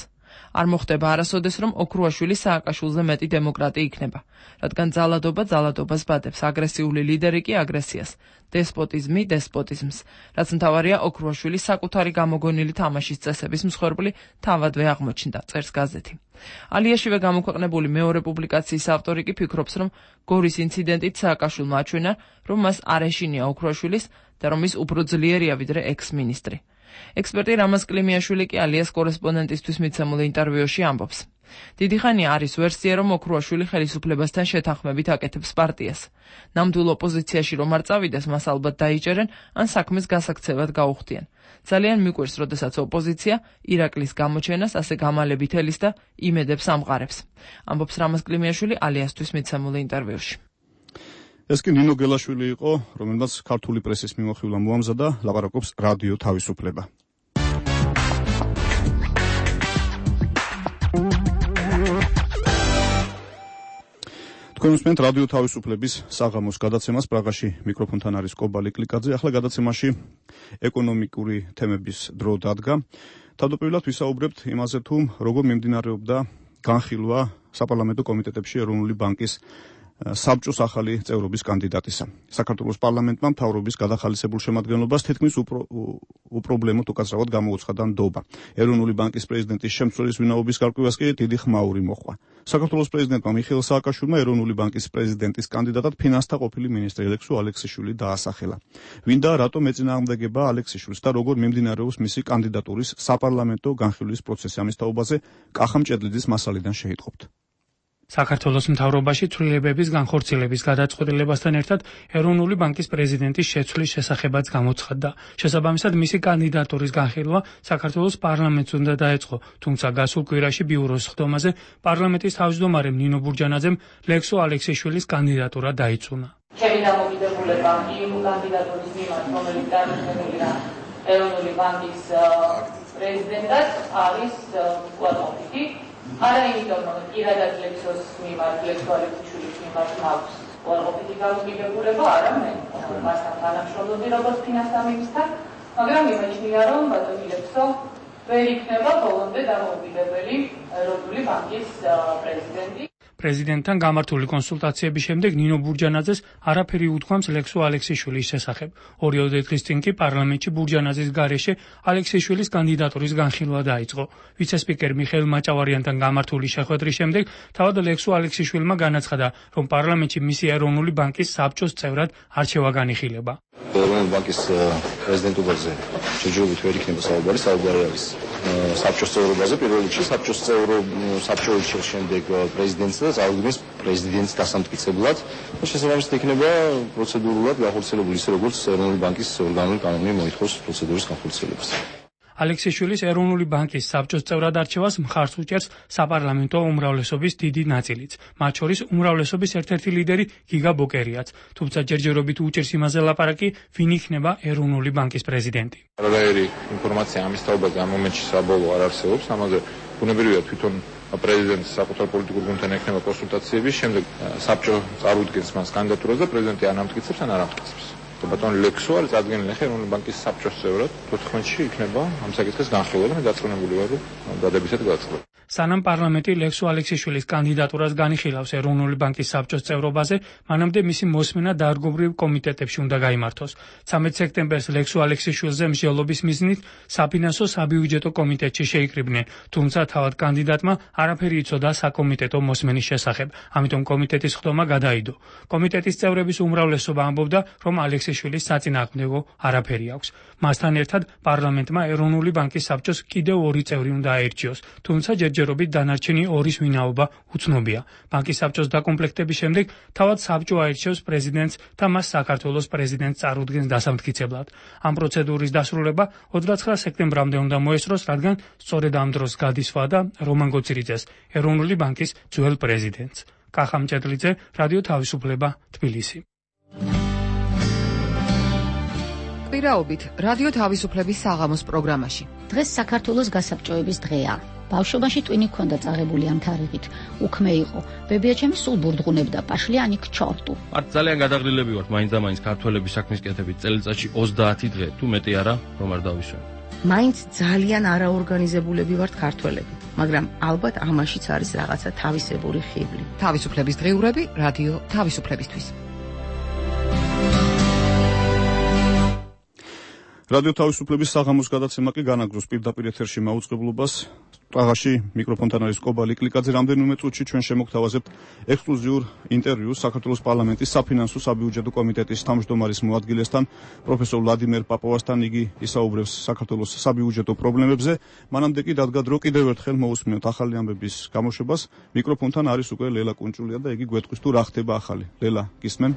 არ მოხდება არასოდეს, რომ ოქრუაშვილი სააკაშვილზე მეტი დემოკრატი იქნება, რადგან ძალადობა ძალადობას ბადებს, აგრესიული ლიდერი კი აგრესიას, დესპოტიზმი დესპოტიზმს, რაც მთავარია ოქრუაშვილი საკუთარი გამოგონილი თამაშის წესების მსხვერპლი თავადვე აღმოჩნდა, წერს გაზეთი. ალიაშივე გამოქვეყნებული მეორე პუბლიკაციის ავტორი კი ფიქრობს, რომ გორის ინციდენტით სააკაშვილმა აჩვენა, რომ მას არ ეშინია ოქრუაშვილის და რომ ის უფრო ძლიერია ვიდრე ექს-მინისტრი. ექსპერტი რამაზ კლიმიაშვილი კი ალიას კორესპონდენტისთვის მიცემულ ინტერვიუში ამბობს. დიდი ხანია არის ვერსია, რომ ოქრუაშვილი ხელისუფლებასთან შეთანხმებით აკეთებს პარტიას. ნამდვილ ოპოზიციაში რომ არ წავიდეს, მას ალბათ დაიჭერენ, ან საქმეს გასაქცევად გაუხდიან. ძალიან მიყვარს, როდესაც ოპოზიცია ირაკლის გამოჩენას ასე გამალებით ელის და იმედებს ამყარებს. ამბობს რამაზ კლიმიაშვილი ალიასთვის მიცემულ ინტერვიუში. ეს კი ნინო გელაშვილი იყო, რომელმაც ქართული პრესის მიმოხილვა მოამზადა, ლაპარაკობს რადიო თავისუფლება. თქვენ უსმენთ რადიო თავისუფლების საღამოს გადაცემას, პრაღაში მიკროფონთან არის კობალი კლიკაძე. ახლა გადაცემაში ეკონომიკური თემების დრო დადგა. თავდაპირველად ვისაუბრებთ იმაზე, თუ როგორ მიმდინარეობდა განხილვა საპარლამენტო კომიტეტებში ეროვნული ბანკის საბჭოს ახალი წევრობის კანდიდატისა. საქართველოს პარლამენტმა მთავრობის გადახალისებულ შემადგენლობას თითქმის უპრობლემოდ უკაცრავად გამოუცხადა ნდობა. ეროვნული ბანკის პრეზიდენტის შემცველის ვინაობის გარკვევას კი დიდი ხმაური მოჰყვა. საქართველოს პრეზიდენტმა მიხეილ სააკაშვილმა ეროვნული ბანკის პრეზიდენტის კანდიდატად ფინანსთა ყოფილი მინისტრი ალექსო ალექსიშვილი დაასახელა. ვინ და რატომ ეწინააღმდეგება ალექსიშვილს და როგორ მიმდინარეობს მისი კანდიდატურის საპარლამენტო განხილვის პროცესი, ამის თაობაზე კახამ ჭედლიძის მასალიდან შეიტყობთ. საქართველოს მთავრობაში ცვლილებების განხორციელების გადაწყვეტილებასთან ერთად ეროვნული ბანკის პრეზიდენტის შეცვლის შესახებაც გამოცხადდა. შესაბამისად, მისი კანდიდატურის განხილვა საქართველოს პარლამენტს უნდა დაეწყო, თუმცა გასულ კვირაში ბიუროს ხდომაზე პარლამენტის თავმჯდომარემ ნინო ბურჯანაძემ ლექსო ალექსიშვილის კანდიდატურა დაიწუნა. ჩემი დამოკიდებულება იმ კანდიდატურის მიმართ, რომელიც წარმოქმნილია ეროვნული ბანკის პრეზიდენტად, არის უარყოფითი. არა იმიტომ, რომ პირადად ლექსოს მიმართ, ლექსო ალექსიშვილის მიმართ მაქვს უარყოფითი დამოკიდებულება, არამედ მასთან თანამშრომლობდი როგორც ფინანსთა მინისტრთან, მაგრამ იმეჩნია, რომ ბატონი ლექსო ვერ იქნება ბოლომდე დამოუკიდებელი ეროვნული ბანკის პრეზიდენტი. პრეზიდენტთან გამართული კონსულტაციების შემდეგ ნინო ბურჯანაძეს არაფერი უთქვამს ლექსო ალექსიშვილის შესახებ. ორი დღის წინ კი პარლამენტში ბურჯანაძის გარეშე ალექსიშვილის კანდიდატურის განხილვა დაიწყო. ვიცესპიკერ მიხეილ მაჭავარიანთან გამართული შეხვედრის შემდეგ თავად ლექსო ალექსიშვილმა განაცხადა, რომ პარლამენტში მისი ეროვნული ბანკის საბჭოს წევრად არჩევა განიხილება. ეროვნული ბანკის პრეზიდენტობაზე შეჯიბრობით ვერ იქნება საუბარი, საუბარი არის საბჭოს წევრობაზე, პირველ რიგში საბჭოს წევრო საბჭო ირჩევს შემდეგ პრეზიდენტს და წარუდგენს პრეზიდენტს დასამტკიცებლად და შესაბამისად იქნება პროცედურულად განხორციელებული ისე როგორც ეროვნული ბანკის ორგანული კანონი მოითხოვს პროცედურის განხორციელებას. ალექსიშვილის ეროვნული ბანკის საბჭოს წევრად არჩევას მხარს უჭერს საპარლამენტო უმრავლესობის დიდი ნაწილიც, მათ შორის უმრავლესობის ერთ-ერთი ლიდერი გიგა ბოკერიაც, თუმცა ჯერჯერობით უჭერს იმაზე ლაპარაკი, ვინ იქნება ეროვნული ბანკის პრეზიდენტი. არაერთი ინფორმაცია ამის თაობაზე ამ მომენტში საბოლოო არ არსებობს, ამაზე ბუნებრივია თვითონ პრეზიდენტის საკუთარ პოლიტიკურ გუნდთან ექნება კონსულტაციების, შემდეგ საბჭო წარუდგენს მას კანდიდატურას და პრეზიდენტი ან ამტკიცებს ან არ ამტკიცებს. ბატონ ლექსო არის წარდგენილი ეროვნული ბანკის საბჭოს წევრად, თოთხმეტში იქნება ამ საკითხის განხილვა და დაწყვეტილი ვარ, რომ დადებითად გადაწყდება. სანამ პარლამენტი ლექსო ალექსიშვილის კანდიდატურას განიხილავს ეროვნული ბანკის საბჭოს წევრობაზე, მანამდე მისი მოსმენა დარგობრივ კომიტეტებში უნდა გაიმართოს. ცამეტ სექტემბერს ლექსო ალექსიშვილზე მსჯელობის მიზნით საფინანსო საბიუჯეტო კომიტეტში შეიკრიბნენ, თუმცა თავად კანდიდატმა არაფერი იცოდა საკომიტეტო მოსმენის შესახებ, ამიტომ კომიტეტის ხდომა გადაიდო. კომიტეტის წევრების უმრავლესობა ამბობდა, რომ ალექსიშვილის საწინააღმდეგო არაფერი აქვს. მასთან ერთად პარლამენტმა ეროვნული ბანკის საბჭოს კიდევ ორი წევრი უნდა აირჩიოს, თუმცა ჯერჯერობით დანარჩენი ორის ვინაობა უცნობია. ბანკის საბჭოს დაკომპლექტების შემდეგ თავად საბჭო აირჩევს პრეზიდენტს და მას საქართველოს პრეზიდენტს წარუდგენს დასამტკიცებლად. ამ პროცედურის დასრულება ოცდაცხრა სექტემბრამდე უნდა მოესწროს, რადგან სწორედ ამ დროს გადის ვადა რომან გოცირიძეს, ეროვნული ბანკის ძველ პრეზიდენტს. კახამ ჭედლიძე, რადიო თავისუფლება, თბილისი. კვირაობით რადიო თავისუფლების საღამოს პროგრამაში. დღეს საქართველოს გასაბჭოების დღეა. ბავშვობაში ტვინი ქონდა წაღებული ამ თარიღით. უქმე იყო. ბებიაჩემი სულ ბურდღუნებდა პაშლიანი ქჩორტუ. არ ძალიან გადაღლილები ვართ მაინც და მაინც ქართველების საქმის კეთებით წელიწადში ოცდაათი დღე, თუ მეტი არა, რომ არ დავისვენ. მაინც ძალიან არაორგანიზებულები ვართ ქართველები, მაგრამ ალბათ ამაშიც არის რაღაცა თავისებური ხიბლი. თავისუფლების დღიურები, რადიო თავისუფლებისთვის. რადიო თავისუფლების საღამოს გადაცემა კი განაგრძობს პირდაპირ ეთერში მაუწყებლობას. პრაღაში მიკროფონთან არის კობალი კლიკაძე. რამდენიმე წუთში ჩვენ შემოგთავაზებთ ექსკლუზიურ ინტერვიუს საქართველოს პარლამენტის საფინანსო საბიუჯეტო კომიტეტის თავმჯდომარის მოადგილესთან, პროფესორ ვლადიმერ პაპოვასთან. იგი ისაუბრებს საქართველოს საბიუჯეტო პრობლემებზე. მანამდე კი დადგა დრო კიდევ ერთხელ მოусმინოთ ახალი ამბების გამოშვებას. მიკროფონთან არის უკვე ლელა კუნჭულია და იგი გვეტყვის თუ რა ხდება ახალი. ლელა, გისმენ?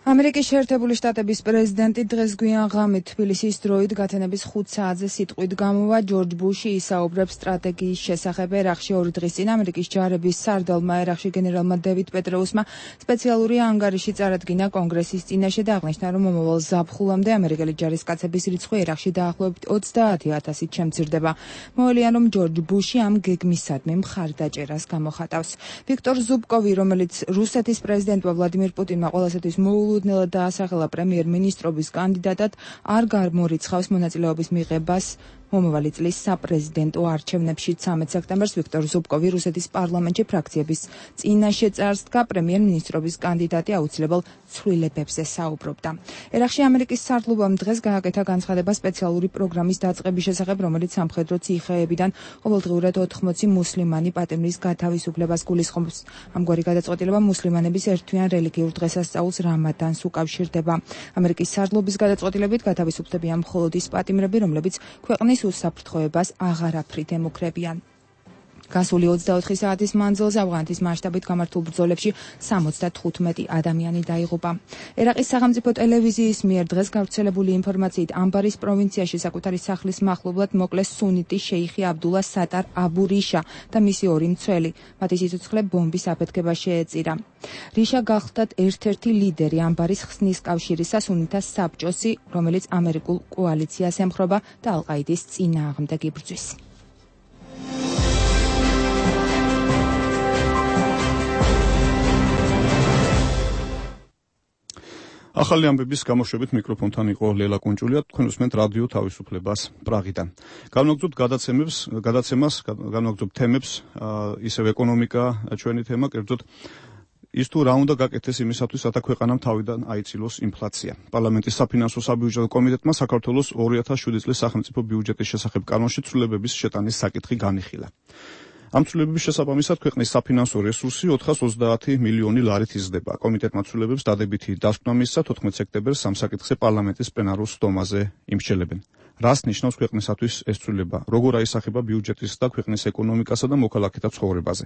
ამერიკის შეერთებული შტატების პრეზიდენტი დღეს გვიან ღამით თბილისის დროით გათენების ხუთ საათზე სიტყვით გამოვა. ჯორჯ ბუში ისაუბრებს სტრატეგიის შესახებ. ერახში ორი დღის წინ ამერიკის ჯარების სარდალმა ერახში გენერალმა დევიდ პეტრეუსმა სპეციალური ანგარიში წარადგინა კონგრესის წინაშე და აღნიშნა, რომ მომავალ ზაფხულამდე ამერიკელი ჯარისკაცების რიცხვი ერახში დაახლოებით ოცდაათი ათასით შემცირდება. მოელიან, რომ ჯორჯ ბუში ამ გეგმისადმი მხარდაჭერას გამოხატავს. ვიქტორ ზუბკოვი, რომელიც რუსეთის პრეზიდენტმა ვლადიმირ პუტინმა ყველასათვის მოულოდნელად დაასახელა პრემიერ-მინისტრობის კანდიდატად, არ გამორიცხავს მონაწილეობის მიღებას მომავალი წლის საპრეზიდენტო არჩევნებში. ცამეტ სექტემბერს ვიქტორ ზუბკოვი რუსეთის პარლამენტში ფრაქციების წინაშე წარს დგა. პრემიერ-მინისტრობის კანდიდატი აუცილებელ ცვლილებებზე საუბრობდა. ერახში ამერიკის სარდლობამ დღეს გააკეთა განცხადება სპეციალური პროგრამის დაწყების შესახებ, რომელიც სამხედრო ციხეებიდან ყოველდღიურად ოთხმოცი მუსლიმანი პატიმრის გათავისუფლებას გულისხმობს. ამგვარი გადაწყვეტილება მუსლიმანების ერთვიან რელიგიურ დღესასწაულს რამადანს უკავშირდება. ამერიკის სარდლობის გადაწყვეტილებით გათავისუფლებიან მხოლოდ ის პატიმრები, რომლებიც ქვეყნის უსაფრთხოებას აღარაფრით ემუქრებიან. გასული ოცდაოთხი საათის მანძილზე ავღანეთის მასშტაბით გამართულ ბრძოლებში სამოცდათხუთმეტი ადამიანი დაიღუპა. ერაყის სახელმწიფო ტელევიზიის მიერ დღეს გავრცელებული ინფორმაციით ამბარის პროვინციაში საკუთარი სახლის მახლობლად მოკლეს სუნიტი შეიხი აბდულა სატარ აბუ რიშა და მისი ორი მცველი. მათი სიცოცხლე ბომბის აფეთქება შეეწირა. რიშა გახლდათ ერთ-ერთი ლიდერი ამბარის ხსნის კავშირისა სუნითა საბჭოსი, რომელიც ამერიკულ კოალიციას ემხრობა და ალ-ყაიდის წინააღმდეგ იბრძვის. ახალი ამბების გამოშვებით მიკროფონთან იყო ლელა კუნჭულია. თქვენ უსმენთ რადიო თავისუფლებას პრაღიდან. განვაგრძობთ გადაცემებს, გადაცემას, განვაგრძობთ თემებს, ისევ ეკონომიკა ჩვენი თემა, კერძოდ ის თუ რა უნდა გაკეთდეს იმისათვის, რათა ქვეყანამ თავიდან აიცილოს ინფლაცია. პარლამენტის საფინანსო საბიუჯეტო კომიტეტმა საქართველოს ორი ათას შვიდი წლის სახელმწიფო ბიუჯეტის შესახებ კანონში ცვლილებების შეტანის საკითხი განიხილა. ამ ცვლილებების შესაბამისად ქვეყნის საფინანსო რესურსი ოთხას ოცდაათი მილიონი ლარით იზრდება. კომიტეტმა ცვლილებებს დადებითი დასკვნა მისცა. თოთხმეტ სექტემბერს ამ საკითხზე პარლამენტის პლენარულ სტომაზე იმსჯელებენ. რას ნიშნავს ქვეყნისათვის ეს ცვლილება? როგორ აისახება ბიუჯეტის და ქვეყნის ეკონომიკასა და მოქალაქეთა ცხოვრებაზე?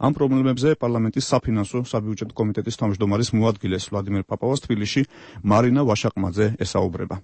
ამ პრობლემებზე პარლამენტის საფინანსო საბიუჯეტო კომიტეტის თავმჯდომარის მოადგილეს ვლადიმერ პაპოვას თბილისში მარინა ვაშაკმაძე ესაუბრება.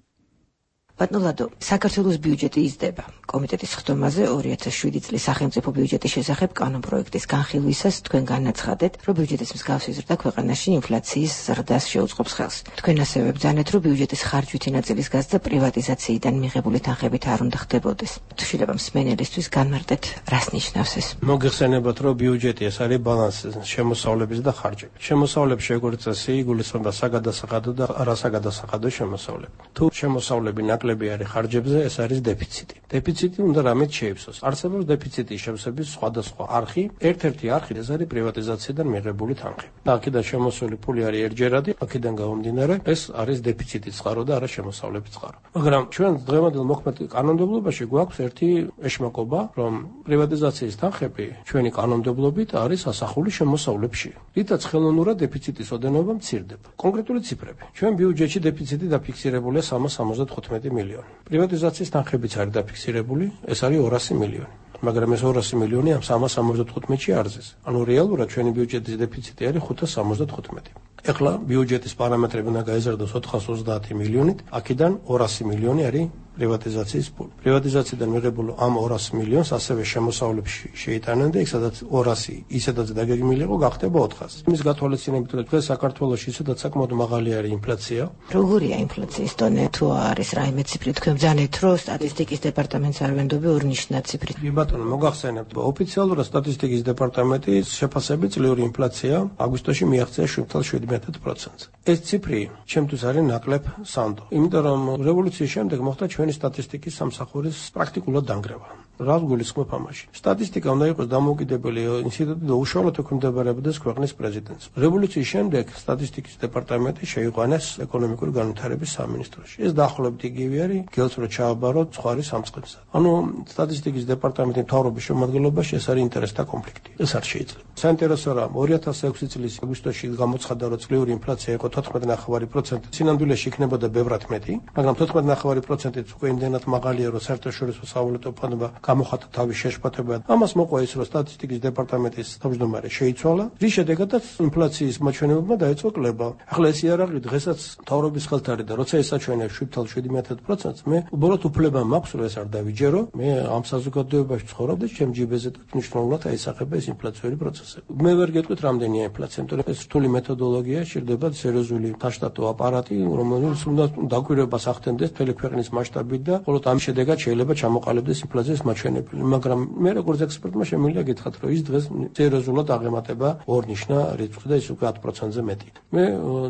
ბატონო, საქართველოს ბიუჯეტი იზრდება. კომიტეტის ხდომაზე ორი ათას შვიდი წლის სახელმწიფო ბიუჯეტის შესახებ კანონპროექტის განხილვისას თქვენ განაცხადეთ, რომ ბიუჯეტის მსგავსი ზრდა ქვეყანაში ინფლაციის ზრდას შეუწყობს ხელს. თქვენ ასევე ბრძანეთ, რომ ბიუჯეტის ხარჯვითი ნაწილის გაზრდა პრივატიზაციიდან მიღებული თანხებით არ უნდა ხდებოდეს. შეიძლება მსმენელისთვის განმარტეთ, რას ნიშნავს ეს? მოგეხსენებათ, რომ ბიუჯეტი ეს არის ბალანსი შემოსავლების და ხარჯების. შემოსავლების როგორც წესი იგულისხმება საგადასახადო და არასაგადასახადო შემოსავლები. თუ შემოსავლები ნაკლები არის ხარჯებზე, ეს არის დეფიციტი. დეფიციტი უნდა რამით შეიფსოს. არსებობს დეფიციტის შევსების სხვადასხვა არხი. ერთ-ერთი არხი ეს არის პრივატიზაციიდან მიღებული თანხები. და აქედან შემოსული ფული არის ერთჯერადი, აქედან გამომდინარე, ეს არის დეფიციტის წყარო და არა შემოსავლების წყარო. მაგრამ ჩვენ დღევანდელ მოქმედ კანონმდებლობაში გვაქვს ერთი ეშმაკობა, რომ პრივატიზაციის თანხები ჩვენი კანონმდებლობით არის ასახული შემოსავლებში. რითაც ხელოვნურად დეფიციტის ოდენობა მცირდება. კონკრეტული ციფრები. ჩვენ ბიუჯეტში დეფიციტი დაფიქსირებულია სამას სამოცდათხუთმეტი მილიონი. პრივატიზაციის თანხებიც არის დაფიქსირებული, ეს არის ორასი მილიონი. მაგრამ ეს ორასი მილიონი ამ სამას სამოცდათხუთმეტში არ ზის. ანუ რეალურად ჩვენი ბიუჯეტის დეფიციტი არის ხუთას სამოცდათხუთმეტი. ეხლა ბიუჯეტის პარამეტრები უნდა გაიზარდოს ოთხას ოცდაათი მილიონით, აქედან ორასი მილიონი არის პრივატიზაციის ფული. პრივატიზაციიდან მიღებულ ამ ორასი მილიონს ასევე შემოსავლებში შეიტანენ და იქ სადაც ორასი ისედაც დაგეგმილი იყო, გახდება ოთხასი. იმის გათვალისწინებით, რომ დღეს საქართველოში ისედაც საკმაოდ მაღალი არის ინფლაცია. როგორია ინფლაციის დონე? თუ არის რაიმე ციფრი, თქვენ ბრძანეთ, რომ სტატისტიკის დეპარტამენტს არ ვენდობი ორნიშნად ციფრით. ბატონო, მოგახსენებთ, ოფიციალურად სტატისტიკის დეპარტამენტის შეფასებით წლიური ინფლაცია აგვისტოში მიაღწია შვიდ წელს შვიდი მეტად პროცენტზე. ეს ციფრი ჩემთვის არის ნაკლებ სანდო. იმიტომ რომ რევოლუციის შემდეგ მოხდა ჩვენი სტატისტიკის სამსახურის პრაქტიკულად დანგრევა. რა გულისხმობ ამაში? სტატისტიკა უნდა იყოს დამოუკიდებელი ინსტიტუტი და უშუალოდ ექვემდებარებოდეს ქვეყნის პრეზიდენტს. რევოლუციის შემდეგ სტატისტიკის დეპარტამენტი შეიყვანეს ეკონომიკური განვითარების სამინისტროში. ეს დაახლოებით იგივე არის გელს რო ჩააბაროთ ცხარი სამწყებსა. ანუ სტატისტიკის დეპარტამენტის მთავრობის შემადგენლობაში ეს არის ინტერესთა კონფლიქტი. ეს არ შეიძლება. საინტერესო რა ორი ათას ექვსი წლის აგვისტოში გამოცხადა რომ წლიური ინფლაცია იყო თოთხმეტი ნახევარი პროცენტი. სინამდვილეში იქნებოდა ბევრად მეტი, მაგრამ თოთხმეტი ნახევარი პროცენტიც უკვე იმდენად მაღალია რომ საერთაშორისო სავალუტო ფონდმა გამოხატა თავის შეშფოთება. ამას მოყვა ის რომ სტატისტიკის დეპარტამენტის თავმჯდომარე შეიცვალა, რის შედეგადაც ინფლაციის მაჩვენებებმა დაიწყო კლება. ახლა ეს იარაღი დღესაც მთავრობის ხელთ არის და როცა ეს აჩვენებს შვიდ ათას შვიდმეტ პროცენტს, მე უბრალოდ უფლება მაქვს რომ ეს არ დავიჯერო. მე ამ საზოგადოებაში ცხოვრობ და ჩემ ჯიბეზე მნიშვნელოვნად აისახება ეს ინფლაციური პროცესები. მე ვერ გეტყვით რამდენია ინფლაცია, იმიტომ რომ ეს რთული მეთოდოლოგია, შეიძლება სერიოზული დაშტატო აპარატი, რომელიც უნდა დაკვირვებას ახდენდეს მთელი ქვეყნის მასშტაბით და მხოლოდ ამ შედეგად შეიძლება ჩამოყალიბდეს ინფლაციის მაჩვენებელი. მაგრამ მე როგორც ექსპერტმა შემიძლია გითხრათ, რომ ის დღეს სერიოზულად აღემატება ორნიშნა რიცხვი და ის უკვე ათ პროცენტზე მეტი. მე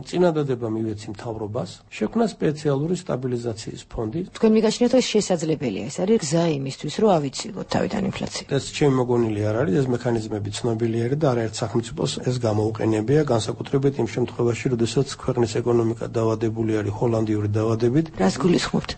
წინადადება მივეცი მთავრობას, შექმნა სპეციალური სტაბილიზაციის ფონდი. თქვენ მიგაჩნიათ, რომ ეს შესაძლებელია, ეს არის გზა იმისთვის, რომ ავიცილოთ თავიდან ინფლაცია. ეს ჩემი მოგონილი არ არის, ეს მექანიზმები ცნობილი არის და არაერთ სახელმწიფოს ეს გამოუყენებია, განსაკუთრებით იმ შემთხვევაში, როდესაც ქვეყნის ეკონომიკა დავადებული არის ჰოლანდიური დავადებით. რას გულისხმობთ?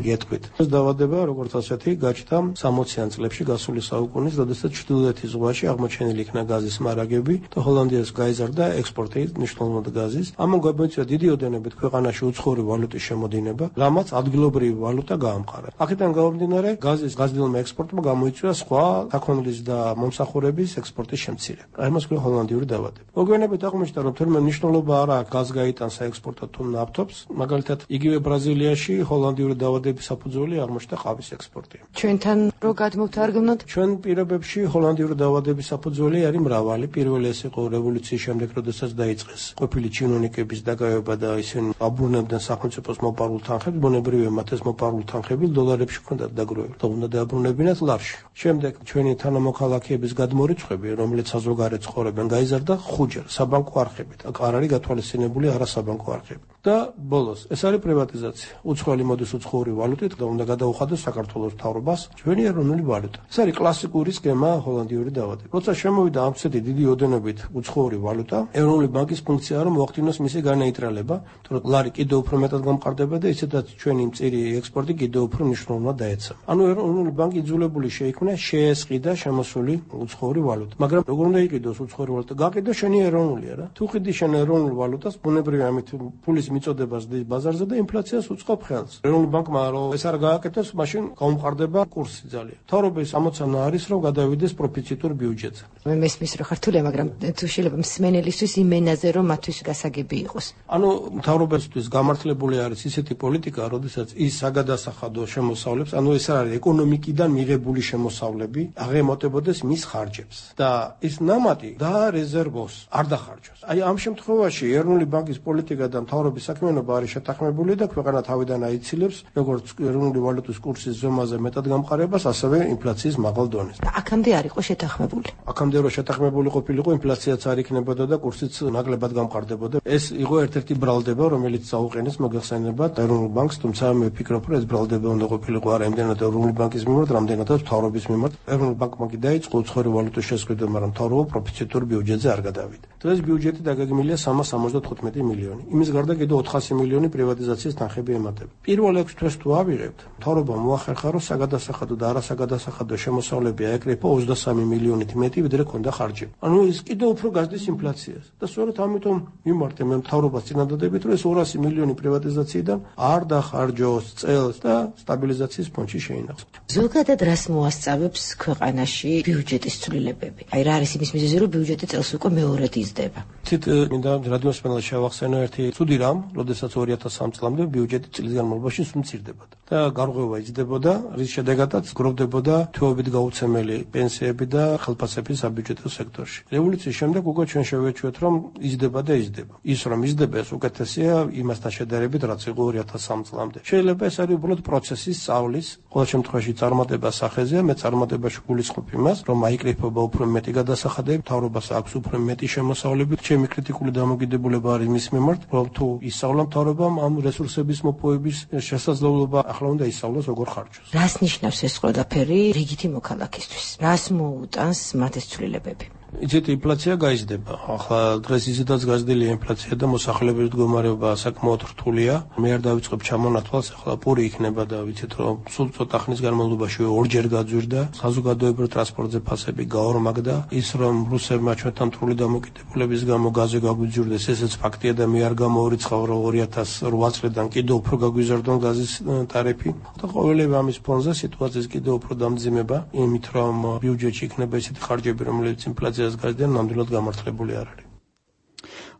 გეტყვით. ეს დავადება, როგორც ასეთი, გაჩნდა სამოციან წლებში გასული საუკუნის, როდესაც ჩრდილოეთის ზღვაში აღმოჩენილი იქნა გაზის მარაგები და ჰოლანდიას გაიზარდა ექსპორტი მნიშვნელოვნად გაზის. ამან გამოიწვია დიდი ოდენობით ქვეყანაში უცხოური ვალუტის შემოდინება, რამაც ადგილობრივი ვალუტა გაამყარა. აქედან გამომდინარე, გაზის გაზრდილმა ექსპორტმა გამოიწვია სხვა საქონლის და მომსახურების ექსპორტის შემცირება. აი მას ქვია ჰოლანდიური დავადება. მოგვიანებით აღმოჩნდა, რომ თურმე მნიშვნელობა არ აქვს გაზ გაიტანს საექსპორტოდ თუ ნავთობს, მაგალითად იგივე ბრაზილიაში ჰოლანდიური დავადების საფუძველი აღმოჩნდა ყავის ექსპორტი. ჩვენთან რო გადმოვთარგმნოთ, ჩვენ პირობებში ჰოლანდიური დავადების საფუძველი არის მრავალი. პირველი ეს იყო რევოლუციის შემდეგ, როდესაც დაიწყეს ყოფილი ჩინოვნიკების დაკავება და ისინი აბრუნებდნენ სახელმწიფოს მოპარულ თანხებს, ბუნებრივია მათ ეს მოპარულ თანხები დოლარებში ჰქონდათ დაგროვებული და უნდა დააბრუნებინათ ლარში. შემდეგ ჩვენი თანამოქალაქეების გადმორიცხვები, რომელიც საზოგადოებად ცხოვრობენ, გაიზარდა ხუჯერ საბანკო არხებით. აქ არ არის გათვალისწინებული არასაბანკო არხები. და ბოლოს ეს არის პრივატიზაცია. უცხოელი მოდის უცხოური ვალუტით და უნდა გადაუხადოს საქართველოს მთავრობას ჩვენი ეროვნული ვალუტა. ეს არის კლასიკური სქემა ჰოლანდიური დავადება. როცა შემოვიდა ამ ცეთი დიდი ოდენობით უცხოური ვალუტა, ეროვნული ბანკის ფუნქციაა რომ მოახდინოს მისი განეიტრალება, თორემ ლარი კიდევ უფრო მეტად გამყარდება და ისედაც ჩვენი მწირი ექსპორტი კიდევ უფრო მნიშვნელოვნად დაეცემა. ანუ ეროვნული ბანკი იძულებული შეიქმნა შეესყიდა შემოსული უცხოური ვალუტა. მაგრამ როგორ უნდა იყიდოს უცხოური ვალუტა? გაყიდო შენი ეროვნულია რა. თუ ყიდი შენ ეროვნულ ვალუტას, ბუნებრივია ამით ფულის მიწოდებას დის ბაზარზე და ინფლაციას უწყობ ხელს. ეროვნული ბანკმა რომ ეს არ გააკეთოს, მაშინ გაუმყარდება კურსი ძალიან. მთავრობის ამოცანა არის რომ გადავიდეს პროფიციტურ ბიუჯეტზე. მე მესმის რომ ხართულია, მაგრამ თუ შეიძლება მსმენელისთვის იმენაზე რომ მათთვის გასაგები იყოს. ანუ მთავრობისთვის გამართლებული არის ისეთი პოლიტიკა, როდესაც ის საგადასახადო შემოსავლებს, ანუ ეს არის ეკონომიკიდან მიღებული შემოსავლები, აღემატებოდეს მის ხარჯებს და ის ნამატი დაარეზერვოს, არ დახარჯოს. აი ამ შემთხვევაში ეროვნული ბანკის პოლიტიკა და მთავრობის საქმიანობა არის შეთანხმებული და ქვეყანა თავიდან აიცილებს როგორც ეროვნული ვალუტის კურსის ზომაზე მეტად გამყარებას, ასევე ინფლაციის მაღალ დონეს. და აქამდე არ იყო შეთანხმებული. აქამდე რო შეთანხმებული ყოფილიყო, ინფლაციაც არ იქნებოდა და კურსიც ნაკლებად გამყარდებოდა. ეს იყო ერთ-ერთი ბრალდება, რომელიც წაუყენეს მოგეხსენებათ ეროვნულ ბანკს, თუმცა მე ვფიქრობ, რომ ეს ბრალდება უნდა ყოფილიყო არა იმდენად ეროვნული ბანკის მიმართ, რამდენადაც მთავრობის მიმართ. ეროვნული ბანკმა კი დაიწყო უცხოური ვალუტის შესყიდვა, მაგრამ მთავრობა პროფიციტურ ბიუჯეტზე არ გადავიდა. დღეს ბიუჯეტი დაგეგმილია სამას სამოცდათხუთმეტი მილიონი. იმის გარდა კიდევ ოთხასი მილიონი პრივატიზაციის თანხები ემატება. პირველ ექვს თვეს თუ ავიღებთ, მთავრობა მოახერხა, რომ საგადასახადო და არასაგადასახადო შემოსავლები აეკრიფა ოცდასამი მილიონით მეტი, ვიდრე ქონდა ხარჯები. ანუ ის კიდევ უფრო გაზრდის ინფლაციას. და სწორედ ამიტომ მიმართე მე მთავრობას წინადადებით, რომ ეს ორასი მილიონი პრივატიზაციიდან არ დახარჯოს წელს და სტაბილიზაციის ფონდში შეინახოს. ზოგადად რას მოასწავებს ქვეყანაში ბიუჯეტის ცვლილებები? აი რა არის იმის მიზეზი, რომ ბიუჯეტი წელს უკვე მეორედ იზრდება? თით მინდა რადიოსმენელს შევახსენო ერთი ცუდი რამ, როდესაც ორი ათას სამი წლამდე ბიუჯეტი წლის განმავლობაში სულ მცირდებოდა და გარღვევა იზრდებოდა, რის შედეგადაც გროვდებოდა თვეობით გაუცემელი პენსიები და ხელფასები საბიუჯეტო სექტორში. რევოლუციის შემდეგ უკვე ჩვენ შევეჩვევთ, რომ იზრდება და იზრდება. ის რომ იზრდება, ეს უკეთესია იმასთან შედარებით, რაც იყო ორი ათას სამი წლამდე. შეიძლება ეს არის უბრალოდ პროცესის სწავლის, ყოველ შემთხვევაში წარმატება სახეზეა, მე წარმატებაში გულისხმობ იმას, რომ აიკრიფება უფრო მეტი გადასახადები, მთავრობას აქვს უფრო მეტი შემოსავლები. ჩემი კრიტიკული დამოკიდებულება არის მის მიმართ, რომ თუ ისწავლა მთავრობამ ამ რესურსების მოპოვების შესაძლებლობა, ახლა უნდა ისწავლოს როგორ ხარჯოს. რას ნიშნავს ეს ყველაფერი რიგითი მოქალაქისთვის? რას მოუტანს მათ ეს ცვლილებები? იცით, ინფლაცია გაიზრდება. ახლა დღეს ისედაც გაზრდილია ინფლაცია და მოსახლეობის მდგომარეობა საკმაოდ რთულია. მე არ დავიწყებ ჩამონათვალს, ახლა პური იქნება და ვიცით, რომ სულ ცოტა ხნის განმავლობაში ორჯერ გაძვირდა. საზოგადოებრივ ტრანსპორტზე ფასები გაორმაგდა. ის რომ რუსებმა ჩვენთან მტრული დამოკიდებულების გამო გაზი გაგვიძვირდეს, ესეც ფაქტია და მე არ გამოვირიცხავ, რომ ორი ათას რვა წლიდან კიდევ უფრო გაგვიზარდონ გაზის ტარიფი. და ყოველივე ამის ფონზე სიტუაციის კიდევ უფრო დამძიმება, იმით რომ ბიუჯეტში იქნება ისეთი ხარჯები, რომლებიც ინფლაციას გაზრდიან, ნამდვილად გამართლებული არ არის.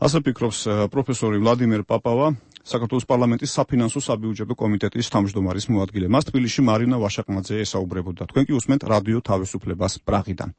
ასე ფიქრობს პროფესორი ვლადიმერ პაპავა, საქართველოს პარლამენტის საფინანსო საბიუჯეტო კომიტეტის თავმჯდომარის მოადგილე. მას თბილისში მარინა ვაშაკმაძე ესაუბრებოდა. თქვენ კი უსმენთ რადიო თავისუფლებას პრაღიდან.